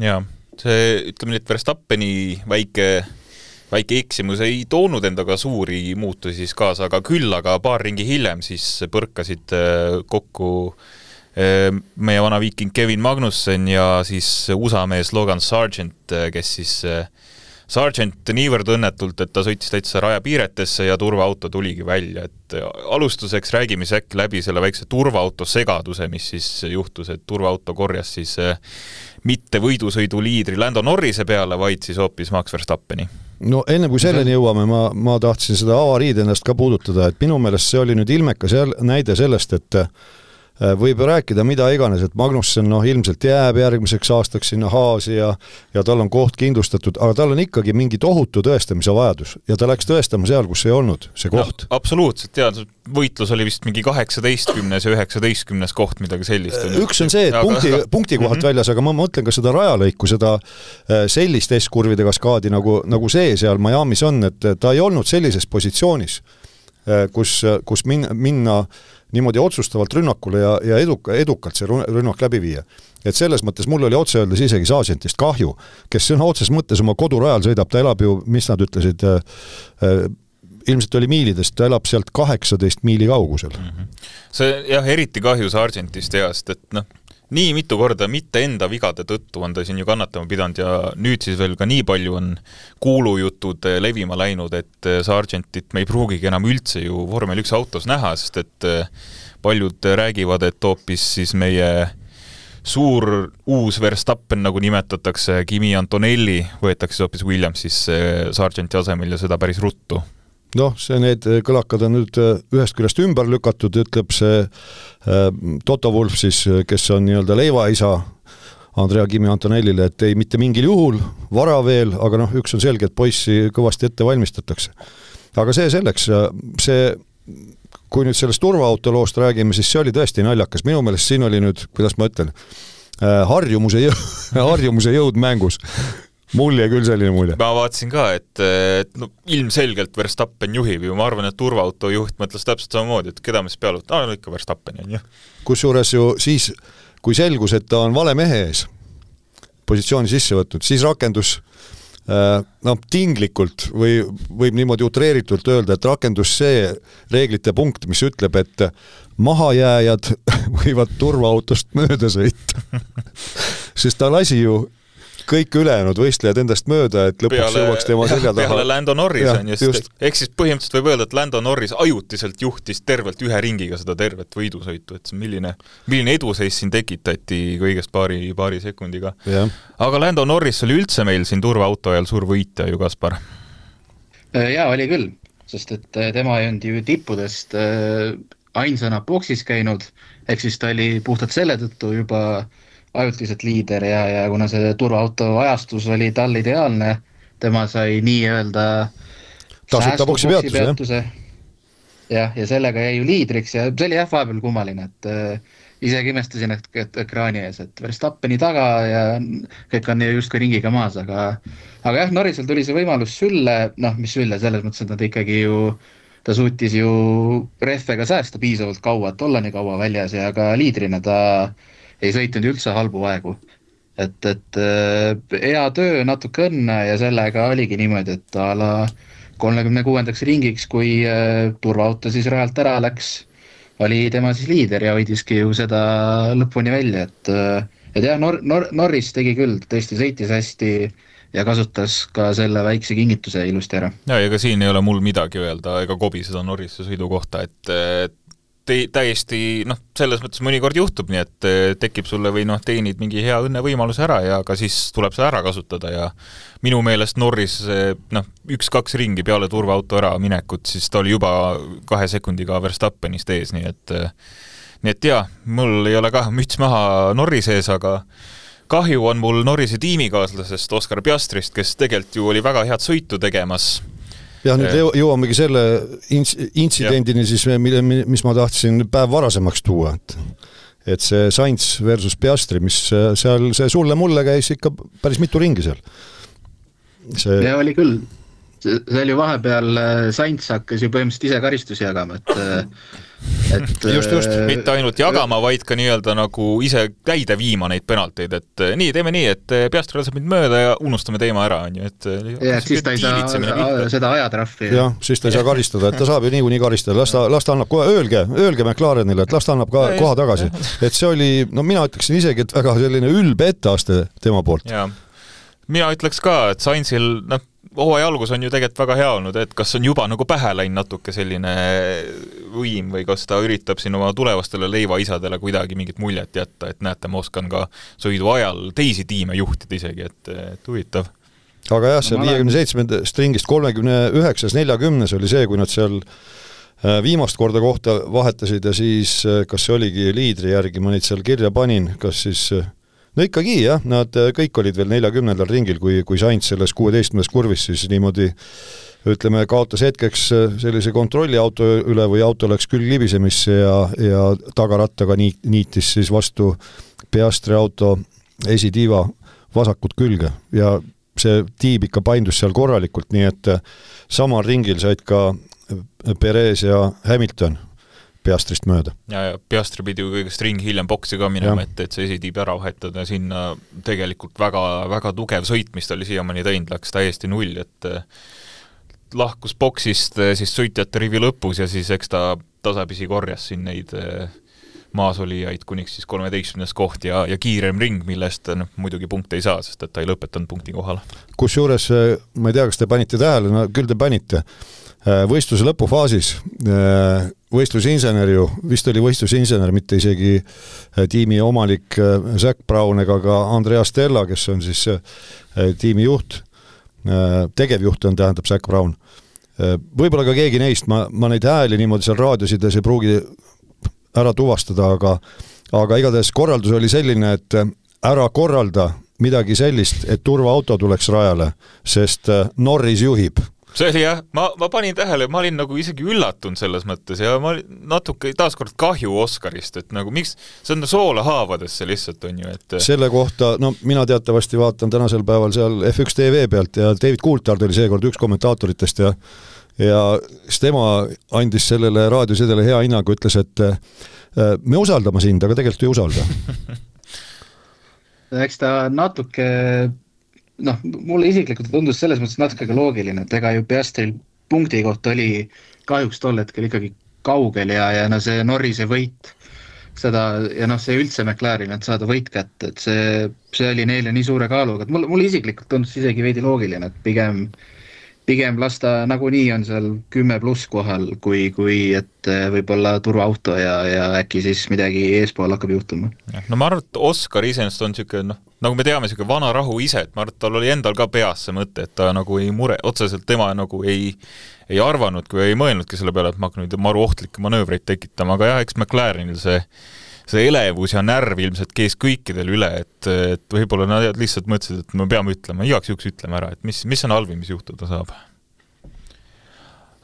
Ja, see, ütleme nii, et Verstappeni väike eksimus ei toonud endaga suuri muutusi siis kaasa, aga küll, aga paar ringi hiljem siis põrkasid kokku meie vana viiking Kevin Magnussen ja siis USA mees Logan Sargent, kes siis Sargent niivõrd õnnetult, et ta sõitis täitsa rajapiiretesse ja turvaauto tuligi välja, et alustuseks räägime äkki läbi selle väikse turvaauto segaduse, mis siis juhtus, et turvaauto korjas siis mitte võidusõidu liidri Lando Norrise peale, vaid siis hoopis Max Verstappeni. No enne kui selleni jõuame, ma tahtsin seda avariid ennast ka puudutada, et minu meelest see oli nüüd ilmekas näide sellest, et võib rääkida mida iganes, et Magnussen ilmselt jääb järgmiseks aastaks sinna Haasi ja tal on koht kindlustatud, aga tal on ikkagi mingi tohutu tõestamise vajadus ja ta läks tõestama seal, kus ei olnud see koht. Absoluutselt, võitlus oli vist mingi 18. ja 19. koht, midagi sellist. Üks on see, et punkti kohalt väljas, aga ma mõtlen ka seda rajalõiku, seda sellist S-kurvide kaskaadi, nagu see seal Miami's on, et ta ei olnud sellises positsioonis, kus minna niimoodi otsustavalt rünnakule ja edukalt see rünnak läbi viia. Et selles mõttes mul oli otse öeldes isegi Sargentist kahju, kes sõna otses mõttes oma kodurajal sõidab, ta elab ju, mis nad ütlesid, ilmselt oli miilidest, ta elab sealt 18 miili kaugusel. See eriti kahju Sargentist heast, et nii mitu korda mitte enda vigade tõttu on ta siin ju kannatama pidanud ja nüüd siis veel ka nii palju on kuulujutud levima läinud, et Sargentit me ei pruugigi enam üldse ju Vormel 1 autos näha, sest et paljud räägivad, et hoopis siis meie suur uus Verstappen, nagu nimetatakse, Kimi Antonelli, võetakse hoopis Williams siis Sargenti asemel ja seda päris ruttu. Need kõlakad on nüüd ühest küljest ümber lükatud, ütleb see Toto Wolff siis, kes on nii-öelda leivaisa Andrea Kimi Antonellile, et ei mitte mingil juhul, vara veel, aga üks on selge, et poissi kõvasti ette valmistatakse. Aga see selleks, see kui nüüd sellest turvaauto loost räägime, siis see oli tõesti naljakas. Minu meelest siin oli nüüd, kuidas ma ütlen, harjumuse jõud mängus. Mul jäi küll selline mulje. Ma vaatasin ka, et no, ilmselgelt Verstappen juhib ju. Ma arvan, et turvaauto juht mõtles täpselt samamoodi, et keda me siis peale võtta. No ikka Verstappen on ju. Kusjuures ju siis, kui selgus, et ta on vale mehe ees positsiooni sisse võtnud, siis rakendus tinglikult või võib niimoodi utreeritult öelda, et rakendus see reeglite punkt, mis ütleb, et mahajääjad võivad turvaautost mööda sõita. Sest ta lasi ju kõik ülejäänud võistlejad endast mööda, et lõpuks jõuaks tema selja taha. Peale Lando Norris on just. Ehk siis põhimõtteliselt võib öelda, et Lando Norris ajutiselt juhtis tervelt ühe ringiga seda tervet võidusõitu, et milline eduseis siin tekitati kõigest paari sekundiga. Ja. Aga Lando Norris oli üldse meil siin turvaauto ajal suur võitja ju, Kaspar? Jaa, oli küll, sest et tema ei olnud ju tippudest ainsana boksis käinud, ehk siis ta oli puhtalt selle tõttu juba ajutiselt liider ja kuna see turvaauto ajastus oli tal ideaalne, tema sai nii-öelda tasuta boksi peatuse. Ja sellega jäi ju liidriks ja see oli vahepeal kummaline, et isegi imestasin, et ekraani ees, et Verstappeni taga ja kõik on just ka ringiga maas, aga jah, Norrisel tuli see võimalus sülle, mis sülle, selles mõttes, et nad ikkagi ju ta suutis ju rehvega säästa piisavalt kaua, et olla nii kaua väljas ja ka liidrina ta ei sõitnud üldse halbu aegu. Et hea töö, natuke õnne ja sellega oligi niimoodi, et ala 36. ringiks, kui turvaauto siis rajalt ära läks, oli tema siis liider ja hoidiski ju seda lõpuni välja. Et jah, Norris tegi küll, tõesti sõitis hästi ja kasutas ka selle väikse kingituse ilusti ära. Ja ega siin ei ole mul midagi öelda ega kobiseda Norrise sõidu kohta, et täiesti, selles mõttes mõnikord juhtub nii, et tekib sulle või teenid mingi hea õnne võimaluse ära ja ka siis tuleb see ära kasutada ja minu meelest Norris 1-2 ringi peale turvaauto ära minekut, siis ta oli juba 2 sekundiga Verstappenist ees, nii et jah, mul ei ole ka müts maha Norrise ees, aga kahju on mul Norrise tiimikaaslasest Oscar Piastrist, kes tegelikult ju oli väga head sõitu tegemas. Ja nüüd jõuamegi selle intsidendini siis, mis ma tahtsin päev varasemaks tuua, et see Sainz versus Piastri, mis seal see sulle-mulle käis ikka päris mitu ringi seal. Ja oli küll. See oli ju vahepeal Sainz hakkas ju põhimõtteliselt ise karistusi jagama, et just, mitte ainult jagama, vaid ka nii-öelda nagu ise käide viima neid penalteid, et nii, teeme nii, et Piastri laseb mind mööda ja unustame teema ära, on ju, et siis ta ei saa seda ajatraffi. Jah, siis ta ei saa karistada, et ta saab ju niikuinii karistada, las ta annab kohe, öelge McLarenile, et las ta annab ka koha tagasi, et see oli, mina ütleksin isegi, et väga selline ülbe etteaste tema poolt. Ja, mina ütleks ka, et Sainzil, hooaja algus on ju tegelikult väga hea olnud, et kas on juba nagu pähe läinud natuke selline võim või kas ta üritab siin oma tulevastele leivaisadele kuidagi mingit muljet jätta, et näete, ma oskan ka sõidu ajal teisi tiime juhtida isegi, et huvitav. Aga jah, see 57. ringist 39. 40. oli see, kui nad seal viimast korda kohta vahetasid ja siis kas see oligi liidri järgi, ma neid seal kirja panin, kas siis no ikkagi jah, nad kõik olid veel 40. ringil, kui Sainz selles 16. kurvis siis niimoodi, ütleme, kaotas hetkeks sellise kontrolliauto üle või auto läks küll libisemisse ja tagarattaga niitis siis vastu Piastri auto esitiiva vasakut külge ja see tiib ikka paindus seal korralikult, nii et samal ringil said ka Perez ja Hamilton Piastrist mööda. Ja Piastri pidi ju kõigest ring hiljem boksi ka minema, et see esitiib ära vahetada ja sinna tegelikult väga, väga tugev sõit, mis ta oli siiamaani teinud, läks täiesti null, et lahkus boksist siis sõitjate rivi lõpus ja siis eks ta tasapisi korjas siin neid maasolijaid kuniks siis 13. koht ja kiirem ring, millest muidugi punkte ei saa, sest et ta ei lõpetanud punkti kohal. Kusjuures, ma ei tea, kas te panite tähele, no küll te panite, võistluse lõpufaasis võistlusinsener ju, vist oli võistlusinsener, mitte isegi tiimi omalik Zac Brown ega ka Andrea Stella, kes on siis tiimi juht, tegevjuht on, tähendab Zac Brown. Võib-olla ka keegi neist, ma neid hääli niimoodi seal raadiosides ei pruugi ära tuvastada, aga igatahes korraldus oli selline, et ära korralda midagi sellist, et turvaauto tuleks rajale, sest Norris juhib. see oli jah, ma panin tähele, ma olin nagu isegi üllatunud selles mõttes ja ma natuke taaskord kahju Oscarist, et nagu miks, see on soolahaavadesse lihtsalt on ju, et selle kohta, no mina teatavasti vaatan tänasel päeval seal F1 TV pealt ja David Coulthard oli seekord üks kommentaatoritest ja siis tema andis sellele raadiosidele hea hinnagu, ütles, et me usaldame sind, aga tegelikult ei usalda. Eks ta natuke, mulle isiklikult tundus selles mõttes natuke loogiline, et ega ju Piastril punkti kohta oli kahjuks tol hetkel ikkagi kaugel ja see Norrise võit, seda, ja see üldse McLaren, et saada võit kätte, et see oli neile nii suure kaaluga, et mulle isiklikult tundus isegi veidi loogiline, et pigem lasta nagunii on seal 10+ kohal, kui et võib-olla turvaauto ja äkki siis midagi eespool hakkab juhtuma. No ma arvan, et Oscar iseenesest on siuke, nagu me teame, siuke vana rahu ise, et ma arvan, et tal oli endal ka peas see mõte, et ta nagu ei mure, otseselt tema nagu ei arvanud, kui ei mõelnudki selle peale, et ma hakkan nüüd maru ohtlikke manöövreid tekitama, aga jah, eks McLarenil see elevus ja närv ilmselt kees kõikidel üle, et võib-olla nad lihtsalt mõtlesid, et me peame ütlema, igaks juhuks ütleme ära, et mis on halvim, mis juhtuda saab.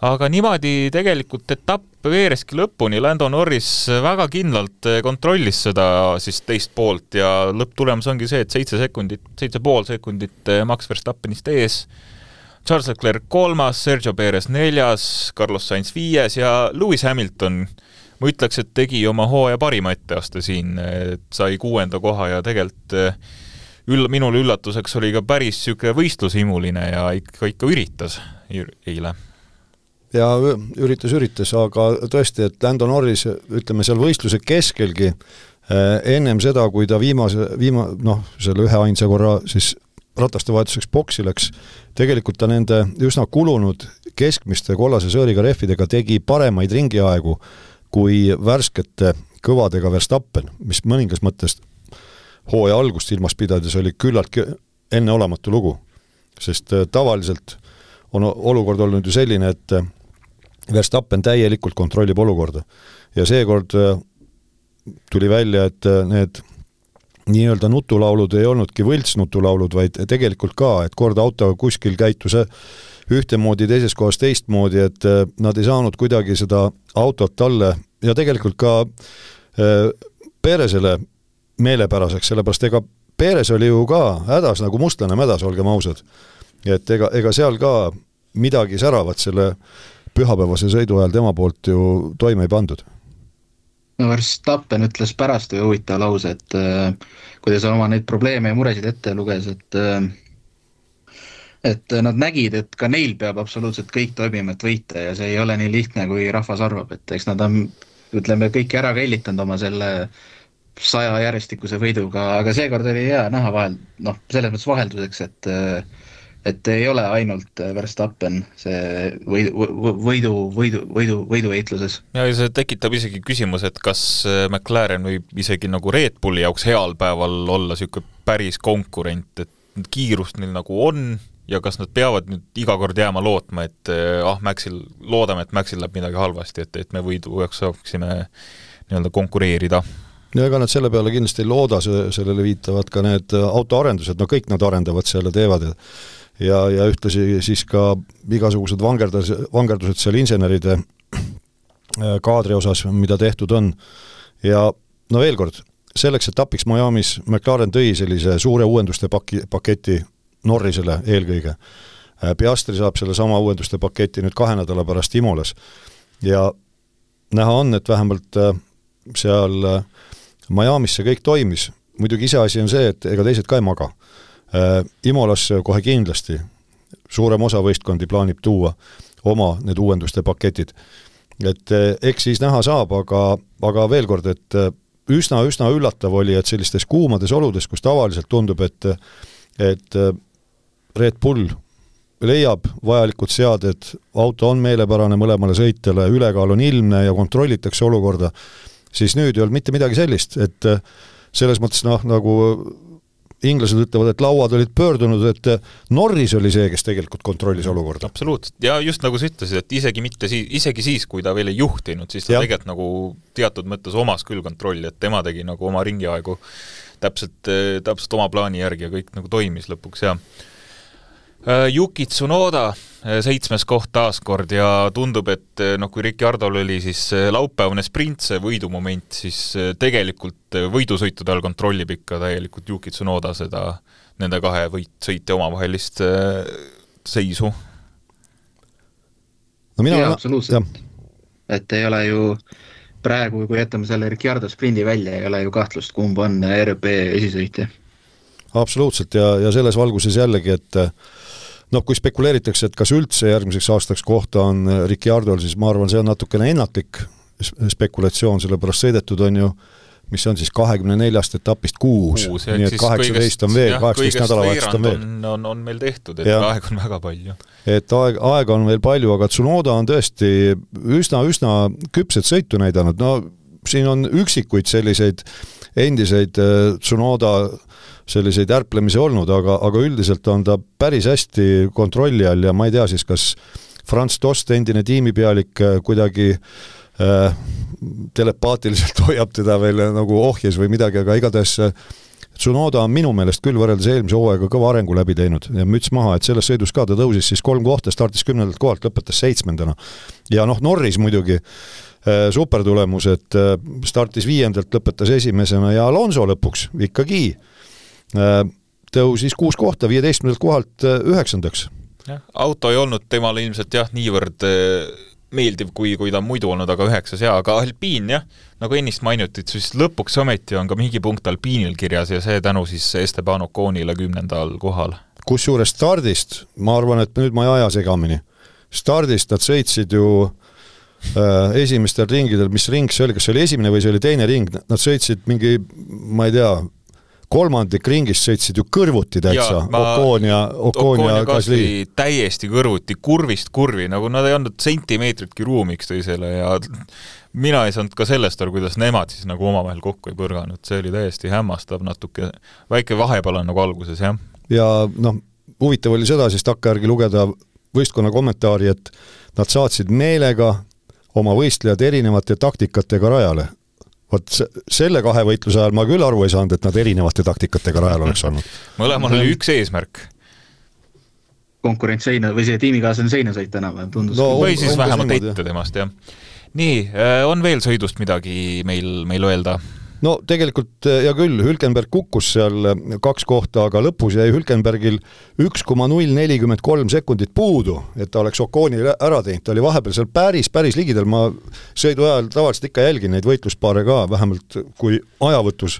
Aga niimoodi tegelikult etapp veereski lõpuni, Lando Norris väga kindlalt kontrollis seda siis teist poolt ja lõpptulemus ongi see, et 7,5 sekundit Max Verstappenist ees, Charles Leclerc 3., Sergio Perez 4., Carlos Sainz 5. ja Lewis Hamilton ma ütleks, et tegi oma hooaja parima etteaste siin, sai 6. koha ja tegelikult minul üllatuseks oli ka päris süke võistlushimuline ja ikka üritas eile. Ja üritas, aga tõesti, et Lando Norris, ütleme seal võistluse keskelgi, ennem seda, kui ta selle ühe ainsa korra siis rataste vahetuseks boksi läks, tegelikult ta nende üsna kulunud keskmiste kollase sõõriga rehvidega tegi paremaid ringiaegu kui värskete kõvadega Verstappen, mis mõningas mõttes hooaja algust ilmas pidades oli küllaltki enneolematu lugu, sest tavaliselt on olukord olnud ju selline, et Verstappen täielikult kontrollib olukorda ja seekord tuli välja, et need nii-öelda nutulaulud ei olnudki võltsnutulaulud, vaid tegelikult ka, et kord auto kuskil käitus ühtemoodi, teises kohas teistmoodi, et nad ei saanud kuidagi seda autot talle ja tegelikult ka Perezele meelepäraseks, sellepärast ega Perez oli ju ka hädas nagu mustlane mädas, olgem ausad. Et ega seal ka midagi säravat selle pühapäevase sõidu ajal tema poolt ju toime ei pandud. Verstappen ütles pärast või huvitav lause, et kuidas oma neid probleeme ja muresid ette luges, et nad nägid, et ka neil peab absoluutselt kõik toimima, et võita ja see ei ole nii lihtne, kui rahvas arvab, et eks nad on, ütleme, kõiki ära kellitanud oma selle 100 järjestikuse võiduga, aga seekord oli hea näha vahel, selles mõttes vahelduseks, et ei ole ainult Verstappen see võidu eitluses. Ja see tekitab isegi küsimus, et kas McLaren võib isegi nagu Red Bulli jaoks heal päeval olla siuke päris konkurent, et kiirust neil nagu on ja kas nad peavad nüüd iga kord jääma lootma, et loodame, et Maxil läheb midagi halvasti, et me võidu saaksime nii-öelda konkureerida. Ja ega nad selle peale kindlasti ei looda, sellele viitavad ka need autoarendused, kõik nad arendavad selle teevad ja ühtlasi siis ka igasugused vangerdused seal inseneride kaadri osas, mida tehtud on. Ja veel kord, selleks etapiks Miamis McLaren tõi sellise suure uuenduste paketi Norrisele eelkõige. Piastri saab selle sama uuenduste paketi nüüd 2 nädala pärast Imolas. Ja näha on, et vähemalt seal Miamis see kõik toimis. Muidugi ise asi on see, et ega teised ka ei maga. Imolas kohe kindlasti suurem osa võistkondi plaanib tuua oma need uuenduste paketid. Et eks siis näha saab, aga veel kord, et üsna üllatav oli, et sellistes kuumades oludes, kus tavaliselt tundub, et Red Bull leiab vajalikud seaded, auto on meelepärane mõlemale sõitjale, ülekaal on ilmne ja kontrollitakse olukorda, siis nüüd ei olnud mitte midagi sellist, et selles mõttes nagu inglased ütlevad, et lauad olid pöördunud, et Norris oli see, kes tegelikult kontrollis olukorda. Absoluutselt, ja just nagu sa ütlesid, et isegi siis, kui ta veel ei juhtinud, siis ta tegelikult nagu teatud mõttes omas küll kontrolli, et tema tegi nagu oma ringiaegu täpselt oma plaani järgi ja kõik nagu toimis lõpuks, ja Yuki Tsunoda 7. koht taaskord ja tundub, et kui Ricciardol oli siis laupäevane sprint, see võidumoment, siis tegelikult võidusõitude all kontrollib ikka täielikult Yuki Tsunoda seda nende kahe sõitja omavahelist seisu. No absoluutselt. Et ei ole ju praegu, kui jätame selle Ricciardo sprindi välja, ei ole ju kahtlust, kumb on RB esisõitja. Absoluutselt ja selles valguses jällegi, et kui spekuleeritakse, et kas üldse järgmiseks aastaks kohta on Ricciardol, siis ma arvan, see on natukene ennatlik spekulatsioon, sellepärast sõidetud on ju, mis on siis 24 etapist 6, nii et 18 on veel, 18 nädalavahetust on veel. On meil tehtud, et aeg on väga palju. Et aega on veel palju, aga Tsunoda on tõesti üsna küpset sõitu näidanud. No siin on üksikuid selliseid endiseid Tsunoda selliseid ärplemisi olnud, aga üldiselt on ta päris hästi kontrolli all ja ma ei tea siis, kas Franz Tost, endine tiimipealik, kuidagi telepaatiliselt hoiab teda veel nagu ohjes või midagi, aga igatahes Tsunoda on minu meelest küll võrreldes eelmise hooaega kõva arengu läbi teinud ja müts maha, et selles sõidus ka ta tõusis siis 3 kohta, startis 10. kohalt, lõpetas 7. Ja Norris muidugi super tulemus, et startis 5. lõpetas 1. ja Alonso lõpuks ikkagi tõusis 6 kohta, 15. kohalt 9. Auto ei olnud temale ilmselt niivõrd meeldiv, kui ta on muidu olnud, aga 9. aga Alpine nagu ennist mainutit, siis lõpuks ometi on ka mingi punkt Alpinil kirjas ja see tänu siis Esteban Oconile 10. kohal. Kusjuures stardist, ma arvan, et nüüd ma ei aja segamini, stardist nad sõitsid ju esimestel ringidel, mis ring see oli, kas see oli esimene või see oli teine ring, nad sõitsid mingi, ma ei tea, kolmandik ringist sõitsid ju kõrvuti täitsa, Ocon ja Gasly. Täiesti kõrvuti, kurvist kurvi, nagu nad ei olnud sentimeetritki ruumiks teisele ja mina ei saanud ka sellest aru, kuidas nemad siis nagu omavahel kokku ei põrganud, see oli täiesti hämmastav natuke, väike vahepala nagu alguses, jah. Ja huvitav oli seda siis takkajärgi lugeda võistkonna kommentaari, et nad saatsid meelega oma võistlejad erinevate taktikatega rajale. Vot selle kahe võitluse ajal ma küll aru ei saanud, et nad erinevate taktikatega rajal oleks olnud. Mõlemal oli üks eesmärk. Konkurents seina või see tiimikaaslane seinasõit enam tundus. No, või siis vähemalt ette temast, jah. Nii, on veel sõidust midagi meil öelda? No tegelikult ja küll, Hülkenberg kukkus seal 2 kohta, aga lõpus jäi Hülkenbergil 1,043 sekundit puudu, et ta oleks Oconi ära teinud. Ta oli vahepeal seal päris ligidel, ma sõidu ajal tavaliselt ikka jälgin neid võitluspaare ka, vähemalt kui ajavõtus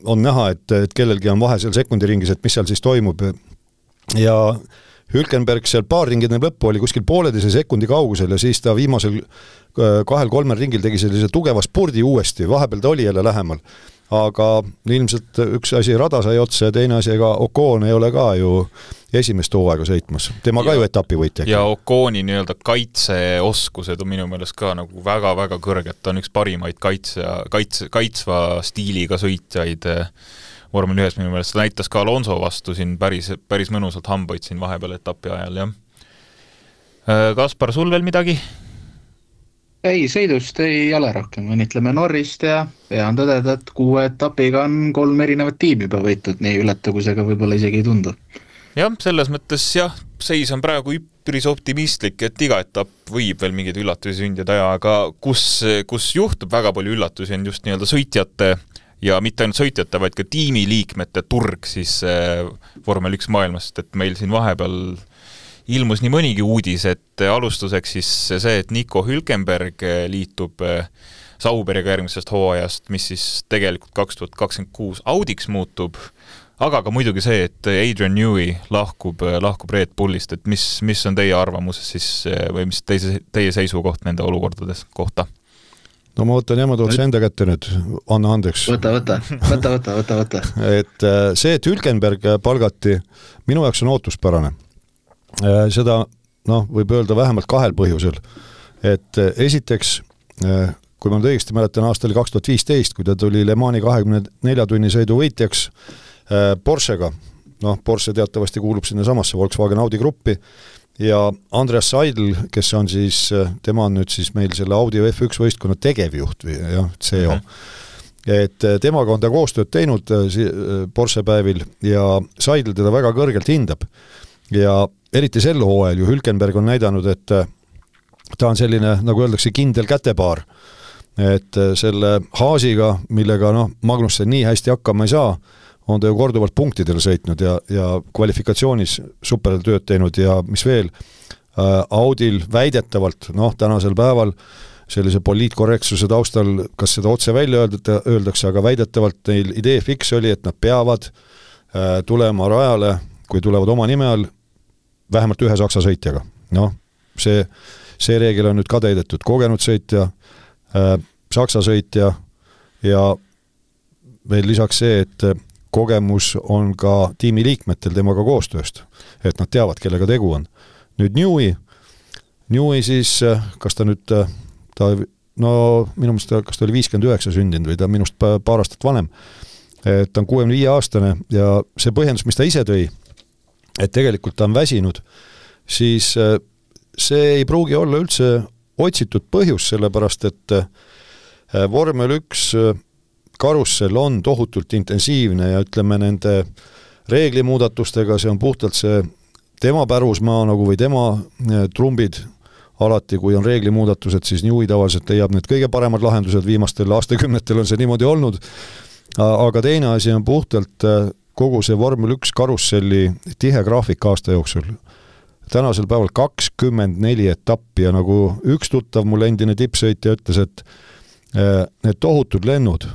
on näha, et kellelgi on vahe seal sekundiringis, et mis seal siis toimub. Ja Hülkenberg seal paar ringid lõppu oli kuskil 1,5 sekundi kaugusel ja siis ta viimasel 2-3 ringil tegi sellise tugeva spurdi uuesti, vahepeal ta oli jälle lähemal. Aga ilmselt üks asi rada sai otsa ja teine asi, ega Ocon ei ole ka ju esimest hooaega sõitmas. Tema ka ju etapivõitja. Ja Oconi nii-öelda kaitseoskused on minu meelest ka nagu väga-väga kõrged. Ta on üks parimaid kaitsva stiiliga sõitjaid vormel 1 minu meelest. Ta näitas ka Alonso vastu siin päris mõnusalt hambaid siin vahepeal etapi ajal, jah. Kaspar, sul veel midagi? Ei, sõidust ei ole rohkem. Õnnitleme Norrist ja on tõdeda, et 6 etapiga on 3 erinevat tiimi juba võitud, nii ületa, kui see ka võib-olla isegi ei tundu. Jah, selles mõttes seis on praegu üpris optimistlik, et iga etapp võib veel mingeid üllatusi sündida ja aga kus juhtub väga palju üllatusi on just nii-öelda sõitjate ja mitte ainult sõitjate, vaid ka tiimiliikmete turg siis vormel 1 maailmast, et meil siin vahepeal ilmus nii mõnigi uudis, et alustuseks siis see, et Nico Hülkenberg liitub Sauberiga järgmisest hooajast, mis siis tegelikult 2026 Audiks muutub, aga ka muidugi see, et Adrian Newey lahkub Red Bullist, et mis on teie arvamuses siis või mis teie seisukoht nende olukordades kohta? No ma võtan otse enda kätte nüüd, anna andeks. Võta. Et see, et Hülkenberg palgati, minu jaoks on ootuspärane. Seda võib öelda vähemalt 2 põhjusel. Et esiteks, kui ma nüüd õigesti mäletan, aastal 2015, kui ta tuli Le Mani 24 tunni sõidu võitjaks Porschega, Porsche teatavasti kuulub sinna samasse Volkswagen Audi gruppi, ja Andreas Seidl, kes on siis, tema on nüüd siis meil selle Audi F1 võistkonna tegevjuht või CEO. et temaga on ta koostööd teinud Porsche päevil ja Seidl teda väga kõrgelt hindab. Ja eriti sel hooajal ju Hülkenberg on näidanud, et ta on selline, nagu öeldakse, kindel kätepaar. Et selle Haasiga, millega Magnussen nii hästi hakkama ei saa, on ta ju korduvalt punktidele sõitnud ja kvalifikatsioonis supertööd teinud ja mis veel, Audil väidetavalt, tänasel päeval sellise poliitkorrektsuse taustal, kas seda otse välja öeldakse, aga väidetavalt neil idee fiks oli, et nad peavad tulema rajale, kui tulevad oma nime all, vähemalt ühe saksa sõitjaga. See reegel on nüüd ka täidetud. Kogenud sõitja, saksa sõitja ja veel lisaks see, et kogemus on ka tiimi liikmetel temaga koostööst, et nad teavad, kellega tegu on. Nüüd Newey siis, kas ta nüüd, minu mõist, kas ta oli 59 sündinud või ta minust paar aastat vanem, et ta on 65-aastane ja see põhjendus, mis ta ise tõi, et tegelikult ta on väsinud, siis see ei pruugi olla üldse otsitud põhjus, sellepärast et vormel 1 karussell on tohutult intensiivne ja ütleme nende reeglimuudatustega, see on puhtalt see tema pärusmaa nagu või tema trumbid alati, kui on reeglimuudatused, siis Newey tavaliselt leiab need kõige paremad lahendused, viimastel aastakümnetel on see niimoodi olnud, aga teine asi on puhtalt kogu see vormel 1 karusselli tihe graafik aasta jooksul. Tänasel päeval 24 etappi ja nagu üks tuttav mul endine tippsõitja ütles, et need tohutud lennud,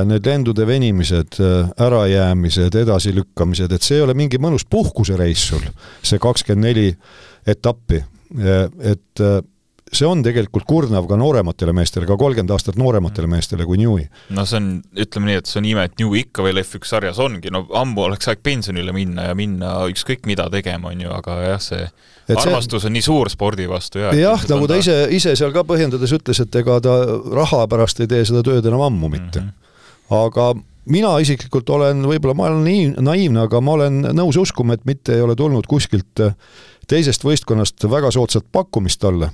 need lendude venimised, ärajäämised, edasilükkamised, et see ei ole mingi mõnus puhkusereis sul, see 24 etappi, et see on tegelikult kurnav ka noorematele meestele, ka 30 aastat noorematele meestele kui Newey. See on, ütleme nii, et see on ime, et Newey ikka veel F1 sarjas ongi, ammu oleks aeg pensionile minna ja minna ükskõik mida tegema, on ju, aga jah, see armastus on nii suur spordi vastu. Jah, nagu ta ise seal ka põhjendades ütles, et ega ta raha pärast ei tee seda tööd enam ammu mitte. Aga mina isiklikult olen, võib-olla ma olen naiivne, aga ma olen nõus uskuma, et mitte ei ole tulnud kuskilt teisest võistkonnast väga soodsat pakkumist talle,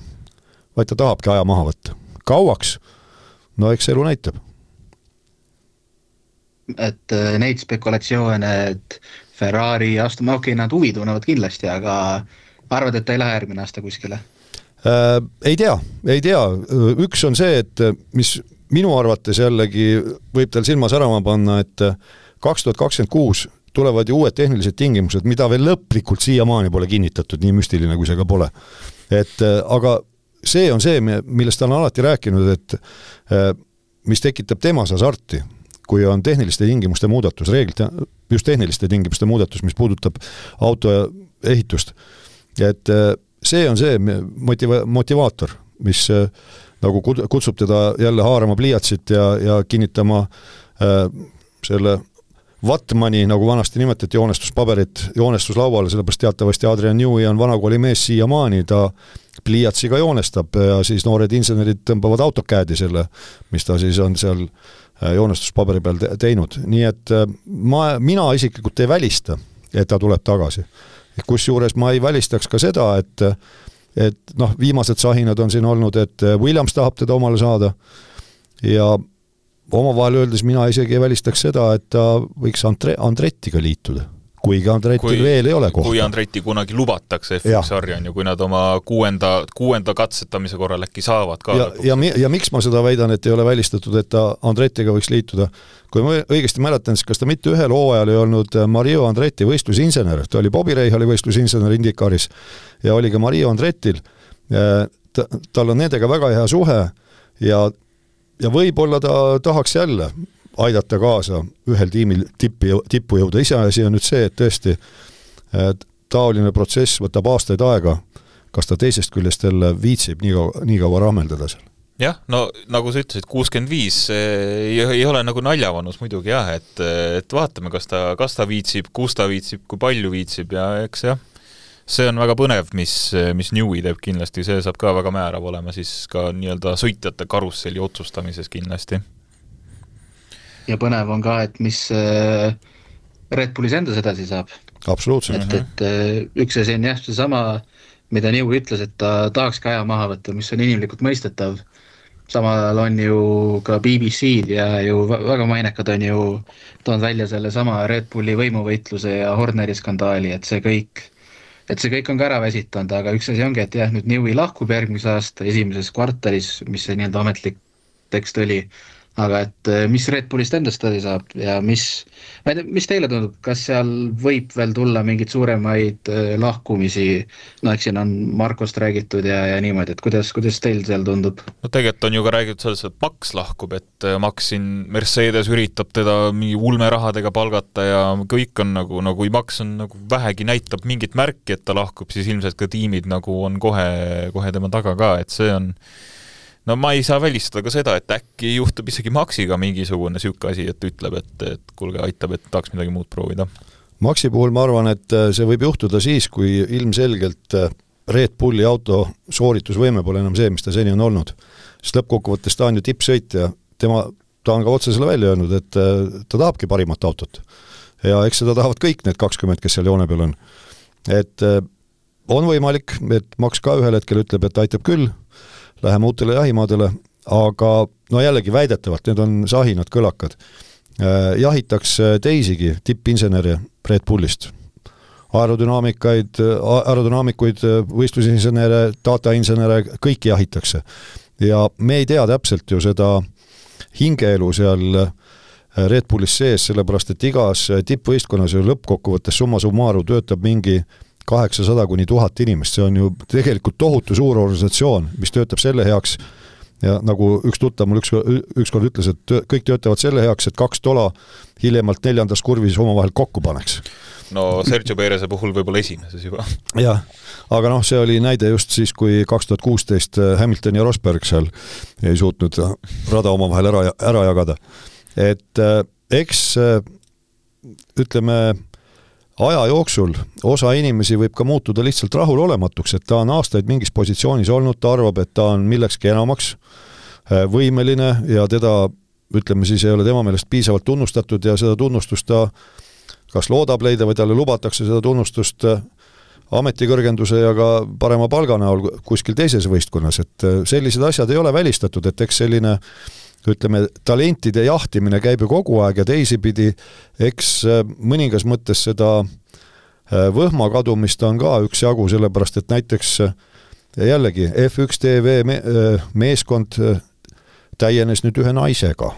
vaid ta tahabki aja maha võtta. Kauaks? Eks elu näitab. Et neid spekulatsioone, et Ferrari astuma, nad huvi tunnevad kindlasti, aga arvad, et ta ei lähe järgmine aasta kuskile? Ei tea. Üks on see, et mis minu arvates jällegi võib tal silma särama panna, et 2026 tulevad ju uued tehnilised tingimused, mida veel lõplikult siiamaani pole kinnitatud, nii müstiline kui see ka pole. Aga see on see, millest ta on alati rääkinud, et mis tekitab temas hasarti, kui on tehniliste tingimuste muudatus, reeglid, just tehniliste tingimuste muudatus, mis puudutab auto ehitust. Et see on see motivaator, mis nagu kutsub teda jälle haarama pliiatsit ja kinnitama selle Vatmani, nagu vanasti nimetati, joonestuslauale, sellepärast teatavasti Adrian Newey on vanakooli mees siiamaani, ta pliiatsiga joonestab ja siis noored insenerid tõmbavad autokäädi selle, mis ta siis on seal joonestuspaberi peal teinud. Nii et mina isiklikult ei välista, et ta tuleb tagasi. Kusjuures ma ei välistaks ka seda, et viimased sahinad on siin olnud, et Williams tahab teda omale saada ja omavahel öeldes mina isegi ei välistaks seda, et ta võiks Andrettiga liituda, kuigi Andrettil veel ei ole kohta. Kui Andretti kunagi lubatakse F1-sarja, kui nad oma kuuenda katsetamise korral äkki saavad ka. Ja miks ma seda väidan, et ei ole välistatud, et ta Andrettiga võiks liituda? Kui ma õigesti mäletan, siis kas ta mitte ühel hooajal ei olnud Mario Andretti võistlusinsener, ta oli Bobby Rahali võistlusinsener Indikaris ja oli ka Mario Andrettil. Tal on nendega väga hea suhe ja võib-olla ta tahaks jälle aidata kaasa ühel tiimil tippu jõuda. Iseasi on nüüd see, et tõesti taoline protsess võtab aastaid aega, kas ta teisest küljest jälle viitsib nii kaua rahmeldada seal. Jah, nagu sa ütlesid, 65 ei ole nagu naljavanus muidugi jah, et vaatame, kas ta viitsib, kus ta viitsib, kui palju viitsib ja eks jah, see on väga põnev, mis Newey teeb kindlasti, see saab ka väga määrav olema siis ka nii-öelda sõitjate karusselli otsustamises kindlasti. Ja põnev on ka, et mis Red Bullis endas edasi saab. Absoluutselt. Et üks asi on jah, see sama, mida Newey ütles, et ta tahaks ka aja maha võtta, mis on inimlikult mõistetav. samal on ju ka BBC-d ja ju väga mainekad on ju toonud välja selle sama Red Bulli võimuvõitluse ja Horneri skandaali, et see kõik on ka ära väsitanud, aga üks asi ongi, et jah, nüüd Newey lahkub järgmise aasta esimeses kvartalis, mis see nii-öelda ametlik tekst oli, aga et mis Red Bullist endast tõdi saab ja mis teile tundub, kas seal võib veel tulla mingeid suuremaid lahkumisi, no eks siin on Markost räägitud ja niimoodi, et kuidas teil seal tundub? No tegelikult on ju ka räägitud selles, et Max lahkub, et Max siin Mercedes üritab teda mingi ulmerahadega palgata ja kõik on nagu kui Max on nagu vähegi näitab mingit märki, et ta lahkub, siis ilmselt ka tiimid nagu on kohe tema taga ka, et see on no ma ei saa välistada ka seda, et äkki juhtub isegi Maxiga mingisugune sükka asi, et ütleb, et kuulge, aitab, et tahaks midagi muud proovida. Maxi puhul ma arvan, et see võib juhtuda siis, kui ilmselgelt Red Bulli auto sooritusvõime pole enam see, mis ta seni on olnud. Sest lõppkokkuvõttes ta on ju tippsõitja, ta on ka otsesele välja öelnud, et ta tahabki parimat autot. Ja eks seda tahavad kõik need 20, kes seal joone peal on. Et on võimalik, et Max ka ühel hetkel ütleb, et aitab küll, läheme uutele jahimaadele, aga no jällegi väidetavalt, need on sahinad kõlakad. Jahitakse teisigi tippinseneri Red Bullist. Aerodünaamikuid, võistlusinsenere, datainsenere, kõiki jahitakse. Ja me ei tea täpselt ju seda hingeelu seal Red Bullis sees, sellepärast et igas tippvõistkonnas ju lõppkokkuvõttes summa summaru töötab mingi 800 kuni 1000 inimest, see on ju tegelikult tohutu suur organisatsioon, mis töötab selle heaks ja nagu üks tuttav mul ükskord ütles, et kõik töötavad selle heaks, et 2 tola hiljemalt 4. kurvis omavahel kokku paneks. No Sergio Perese puhul võib-olla esimeses juba. Jah, aga see oli näide just siis, kui 2016 Hamilton ja Rosberg seal ei suutnud rada omavahel ära jagada. Et eks ütleme aja jooksul osa inimesi võib ka muutuda lihtsalt rahulolematuks, et ta on aastaid mingis positsioonis olnud, ta arvab, et ta on millekski enamaks võimeline ja teda, ütleme siis, ei ole tema meelest piisavalt tunnustatud ja seda tunnustust ta kas loodab leida või talle lubatakse seda tunnustust ametikõrgenduse ja ka parema palga näol kuskil teises võistkonnas, et sellised asjad ei ole välistatud, et eks selline ütleme, talentide jahtimine käib ju kogu aeg ja teisipidi, eks mõningas mõttes seda võhma kadumist on ka üks jagu, sellepärast et näiteks jällegi F1 TV meeskond täienes nüüd ühe naisega,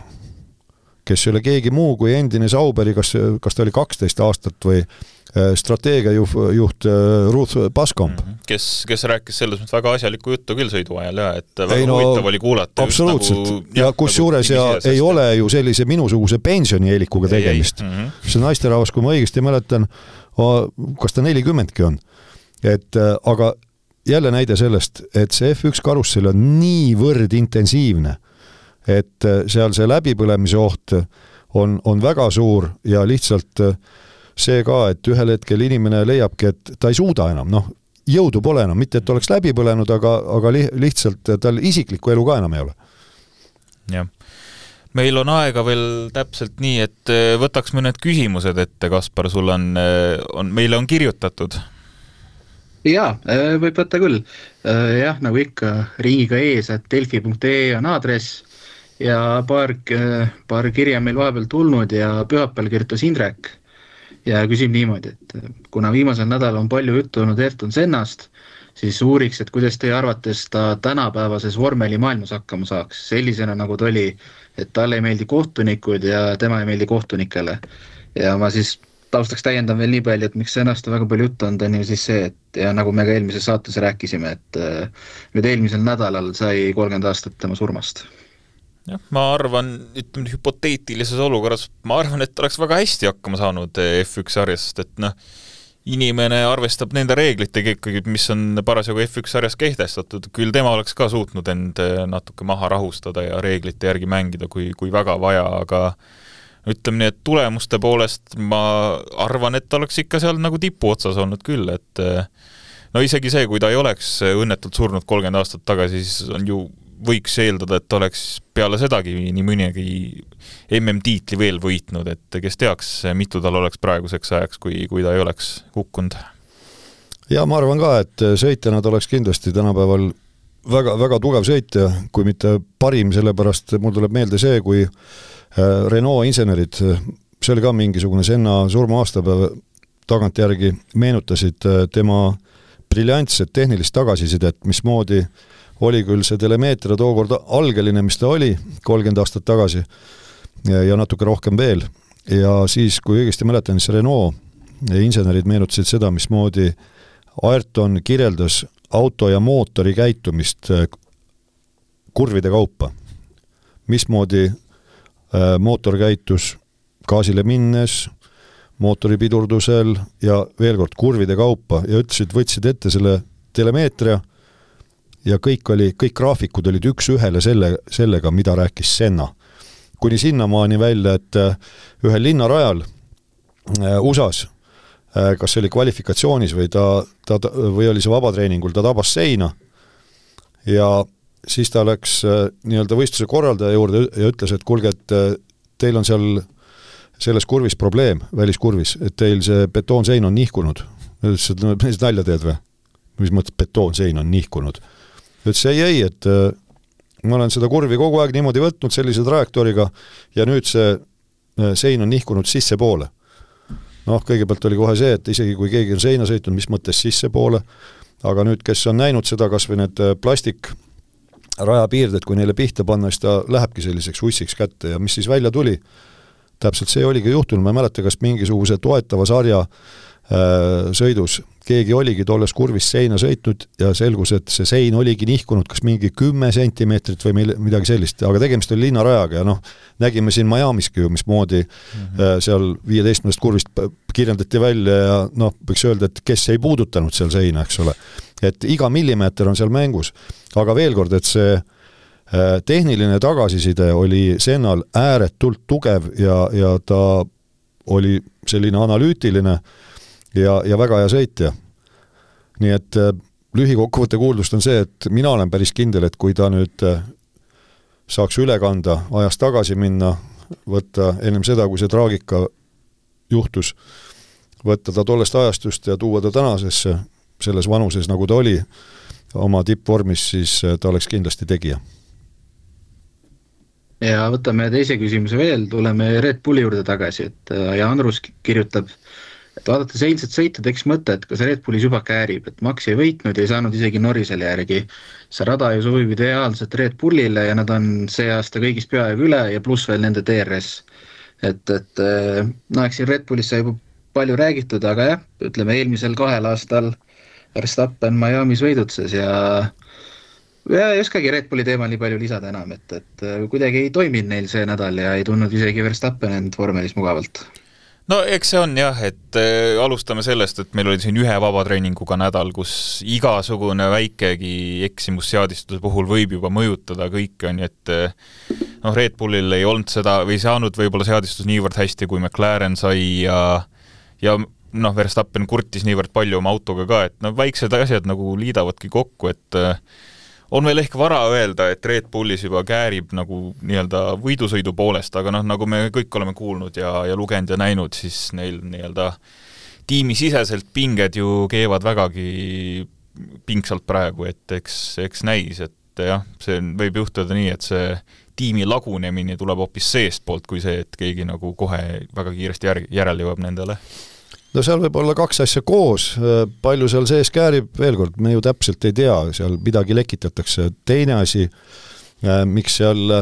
kes ei ole keegi muu kui endine Sauberi, kas ta oli 12 aastat või strateegiajuht Ruth Paskamp. Kes rääkis selles mõttes väga asjalikku juttu küll sõidu ajal ja et väga huvitav oli kuulata. Absoluutselt. Ja kus juures ei ole ju sellise minusuguse pensionieelikuga tegemist. See naisterahvas, kui ma õigesti mäletan, kas ta 40-ki on. Aga jälle näide sellest, et see F1 karussel on niivõrd intensiivne, et seal see läbipõlemise oht on väga suur ja lihtsalt see ka, et ühel hetkel inimene leiabki, et ta ei suuda enam, jõudu pole enam, mitte et oleks läbi põlenud, aga lihtsalt tal isiklikku elu ka enam ei ole. Jah. Meil on aega veel täpselt nii, et võtaks me need küsimused ette, Kaspar, sul meile on kirjutatud. Jaa, võib võtta küll. Jah, nagu ikka, ringiga ees, et delfi.ee on aadress ja paar kirja meil vahepeal tulnud ja pühapäeval kirjutas Indrek ja küsib niimoodi, et kuna viimasel nädal on palju juttu olnud Ayrton Sennast, siis uuriks, et kuidas teie arvates ta tänapäevases vormeli maailmas hakkama saaks, sellisena nagu ta oli, et talle ei meeldi kohtunikud ja tema ei meeldi kohtunikele. Ja ma siis taustaks täiendan veel nii palju, et miks Sennast on väga palju juttu on ju siis see, et ja nagu me ka eelmises saates rääkisime, et nüüd eelmisel nädalal sai 30 aastat tema surmast. Ja, ma arvan, ütleme hüpoteetilises olukorras, ma arvan, et oleks väga hästi hakkama saanud F1 sarjast, et inimene arvestab nende reeglitega ikkagi, mis on parasjagu F1 sarjas kehtestatud, küll tema oleks ka suutnud end natuke maha rahustada ja reeglite järgi mängida, kui väga vaja, aga ütleme nii, et tulemuste poolest ma arvan, et oleks ikka seal nagu tipu otsas olnud küll, et no isegi see, kui ta ei oleks õnnetult surnud 30 aastat tagasi, siis on ju võiks eeldada, et oleks peale sedagi nii mõnegi MM-tiitli veel võitnud, et kes teaks, mitu tal oleks praeguseks ajaks, kui ta ei oleks kukkunud. Ja ma arvan ka, et sõitjana ta oleks kindlasti tänapäeval väga, väga tugev sõitja, kui mitte parim, sellepärast mul tuleb meelde see, kui Renault insenerid, see oli ka mingisugune Senna surma aastapäev, tagantjärgi meenutasid tema briljantset tehnilist tagasisidet, mismoodi oli küll see telemeetria tookord algeline, mis ta oli 30 aastat tagasi ja natuke rohkem veel. Ja siis, kui õigesti mäletan, siis Renault insenerid meenutasid seda, mismoodi Ayrton kirjeldas auto ja mootori käitumist kurvide kaupa. Mismoodi mootor käitus gaasile minnes, mootori pidurdusel ja veel kord kurvide kaupa ja ütlesid, võtsid ette selle telemeetria ja kõik graafikud olid üks ühele sellega, mida rääkis Senna. Kuni sinnamaani välja, et ühel linnarajal USAs, kas see oli kvalifikatsioonis või oli see vabatreeningul, ta tabas seina ja siis ta läks nii-öelda võistluse korraldaja juurde ja ütles, et kuulge, et teil on seal selles kurvis probleem, väliskurvis, et teil see betoonsein on nihkunud. Ütles, et mis nalja teed või? Mis mõttes betoonsein on nihkunud? Ütles, ei, et ma olen seda kurvi kogu aeg niimoodi võtnud sellise trajektooriga ja nüüd see sein on nihkunud sisse poole. Kõigepealt oli kohe see, et isegi kui keegi on seina sõitnud, mis mõttes sisse poole, aga nüüd, kes on näinud seda, kas või need plastik rajapiirded, kui neile pihta panna, siis ta lähebki selliseks ussiks kätte ja mis siis välja tuli, täpselt see oligi juhtunud, ma ei mäleta, kas mingisuguse toetava sarja sõidus keegi oligi tolles kurvis seina sõitnud ja selgus, et see sein oligi nihkunud kas mingi 10 sentimeetrit või midagi sellist, aga tegemist oli linnarajaga ja nägime siin Miamiski ju, mismoodi seal 15 kurvist kirjeldati välja ja võiks öelda, et kes ei puudutanud seal seina, eks ole. Et iga millimeeter on seal mängus, aga veel kord, et see tehniline tagasiside oli Sennal ääretult tugev ja ta oli selline analüütiline ja väga hea sõitja. Nii et lühikokkuvõtte kuuldust on see, et mina olen päris kindel, et kui ta nüüd saaks üle kanda, ajas tagasi minna, võtta ennem seda, kui see traagika juhtus, võtta ta tollest ajastust ja tuua ta tänasesse selles vanuses, nagu ta oli oma tippvormis, siis ta oleks kindlasti tegija. Ja võtame teise küsimuse veel, tuleme Red Bulli juurde tagasi, et ja Andrus kirjutab, et vaadates eilset sõitu teeks mõte, et kas Red Bullis juba käärib, et Max ei võitnud ja ei saanud isegi Norrisele järgi. See rada ju sobib ideaalselt Red Bullile ja nad on see aasta kõigist peaaegu üle ja pluss veel nende DRS. Et eks siin Red Bullis sai juba palju räägitud, aga jah, ütleme eelmisel 2 aastal Verstappen Miamis võidutses ja ei oskagi Red Bulli teemal nii palju lisada enam, et kuidagi ei toiminud neil see nädal ja ei tundnud isegi Verstappen end vormelis mugavalt. No eks see on jah, et alustame sellest, et meil oli siin ühe vabatreeninguga nädal, kus igasugune väikegi eksimusseadistuse puhul võib juba mõjutada kõike, on, et Red Bullil ei olnud seda või saanud võib-olla seadistus niivõrd hästi, kui McLaren sai ja Verstappen kurtis niivõrd palju oma autoga ka, et väiksed asjad nagu liidavadki kokku, et on veel ehk vara öelda, et Red Bullis juba käärib nagu nii-öelda võidusõidu poolest, aga nagu me kõik oleme kuulnud ja lugenud ja näinud, siis neil nii-öelda tiimisiseselt pinged ju keevad vägagi pingsalt praegu, et eks näis, et jah, see võib juhtuda nii, et see tiimi lagunemine tuleb hoopis seest poolt kui see, et keegi nagu kohe väga kiiresti järele jõuab nendele. No seal võib olla 2 asja koos, palju seal sees käärib, veel kord, me ju täpselt ei tea, seal midagi lekitatakse. Teine asi, miks seal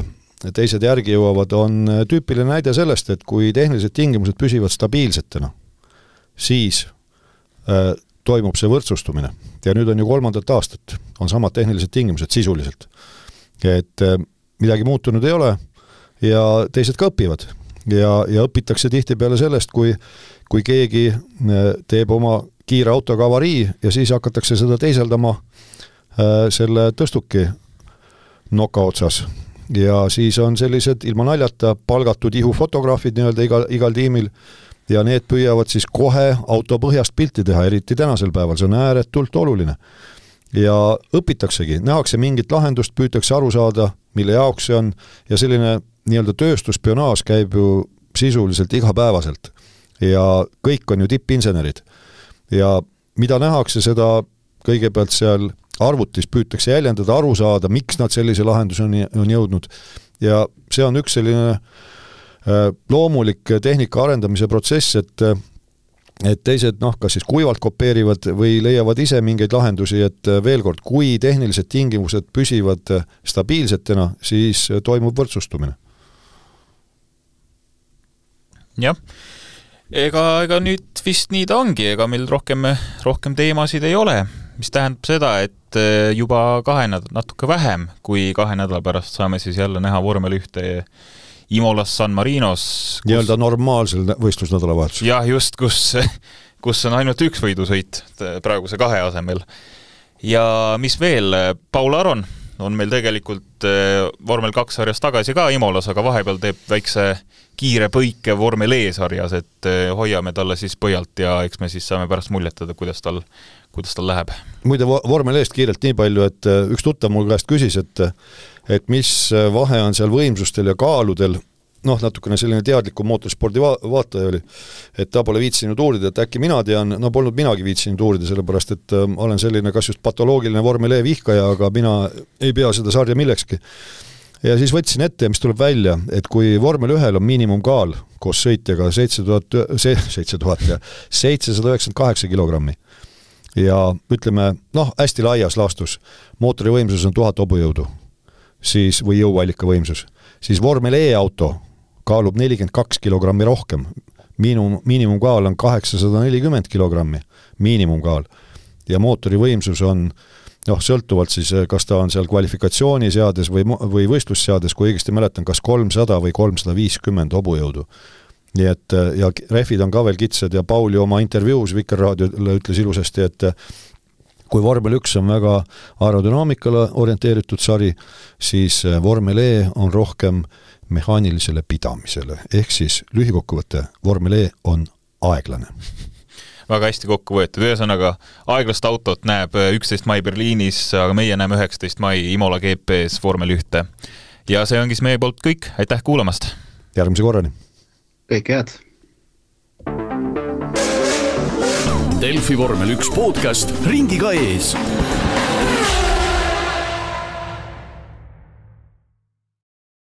teised järgi jõuavad, on tüüpiline näide sellest, et kui tehnilised tingimused püsivad stabiilsetena, siis toimub see võrdsustumine. Ja nüüd on ju 3. aastat, on samad tehnilised tingimused sisuliselt. Et midagi muutunud ei ole ja teised ka õpivad. Ja õpitakse tihtipeale sellest, kui keegi teeb oma kiire autoga avarii ja siis hakatakse seda teiseldama selle tõstuki noka otsas. Ja siis on sellised ilma naljata palgatud ihufotograafid nii-öelda igal tiimil ja need püüavad siis kohe auto põhjast pilti teha, eriti tänasel päeval, see on ääretult oluline. Ja õpitaksegi, nähakse mingit lahendust, püütakse aru saada, mille jaoks see on ja selline nii-öelda tööstuspionaaž käib ju sisuliselt igapäevaselt ja kõik on ju tippinsenerid ja mida nähakse seda kõigepealt seal arvutis püütakse jäljendada, aru saada, miks nad sellise lahenduse on jõudnud ja see on üks selline loomulik tehnika arendamise protsess, et teised kas siis kuivalt kopeerivad või leiavad ise mingeid lahendusi, et veel kord, kui tehnilised tingimused püsivad stabiilsetena, siis toimub võrdsustumine. Jah, ega nüüd vist nii ta ongi, ega meil rohkem teemasid ei ole, mis tähendab seda, et juba natuke vähem kui 2 nädala pärast saame siis jälle näha vormel 1 Imolas San Marinos. Nii-öelda normaalsel võistlusnädalavahetusel. Jah, just, kus on ainult 1 võidusõit praeguse 2 asemel. Ja mis veel, Paul Aron on meil tegelikult vormel 2 sarjas tagasi ka Imolas, aga vahepeal teeb väikse kiire põike vormel E-sarjas, et hoiame talle siis põhjalt ja eks me siis saame pärast muljetada, kuidas tal läheb. Muide, vormel E-st kiirelt nii palju, et üks tuttav mul käest küsis, et mis vahe on seal võimsustel ja kaaludel, natukene selline teadliku mootorspordi vaataja oli, et ta pole viitsinud uurida, et äkki mina tean, polnud minagi viitsinud uurida, sellepärast, et olen selline kas just patoloogiline vormel E vihkaja, aga mina ei pea seda sarja millekski. Ja siis võtsin ette, mis tuleb välja, et kui vormel 1 on miinimumkaal koos sõitjaga 798 kilogrammi ja ütleme, hästi laias laastus, mootori võimsus on 1000 hobujõudu, siis, või jõuallika võimsus, siis vormel E-auto kaalub 42 kilogrammi rohkem. Miinimumkaal on 840 kilogrammi, miinimumkaal. Ja mootori võimsus on, sõltuvalt siis, kas ta on seal kvalifikatsiooniseades või võistlusseades, kui õigesti mäletan, kas 300 või 350 hobujõudu. Nii et, ja rehvid on ka veel kitsad ja Pauli oma intervjuus Vikerraadiole ütles ilusasti, et kui vormel 1 on väga aerodünaamikale orienteeritud sari, siis vormel E on rohkem mehaanilisele pidamisele. Ehk siis lühikokkuvõte, vormel E on aeglane. Väga hästi kokku võetud. Ühesõnaga, aeglast autot näeb 11. mai Berliinis, aga meie näeme 19. mai Imola GP-s vormel 1. Ja see ongi meie poolt kõik. Aitäh kuulamast! Järgmise korrani! Kõik head! Delfi vormel 1 podcast ringiga ees.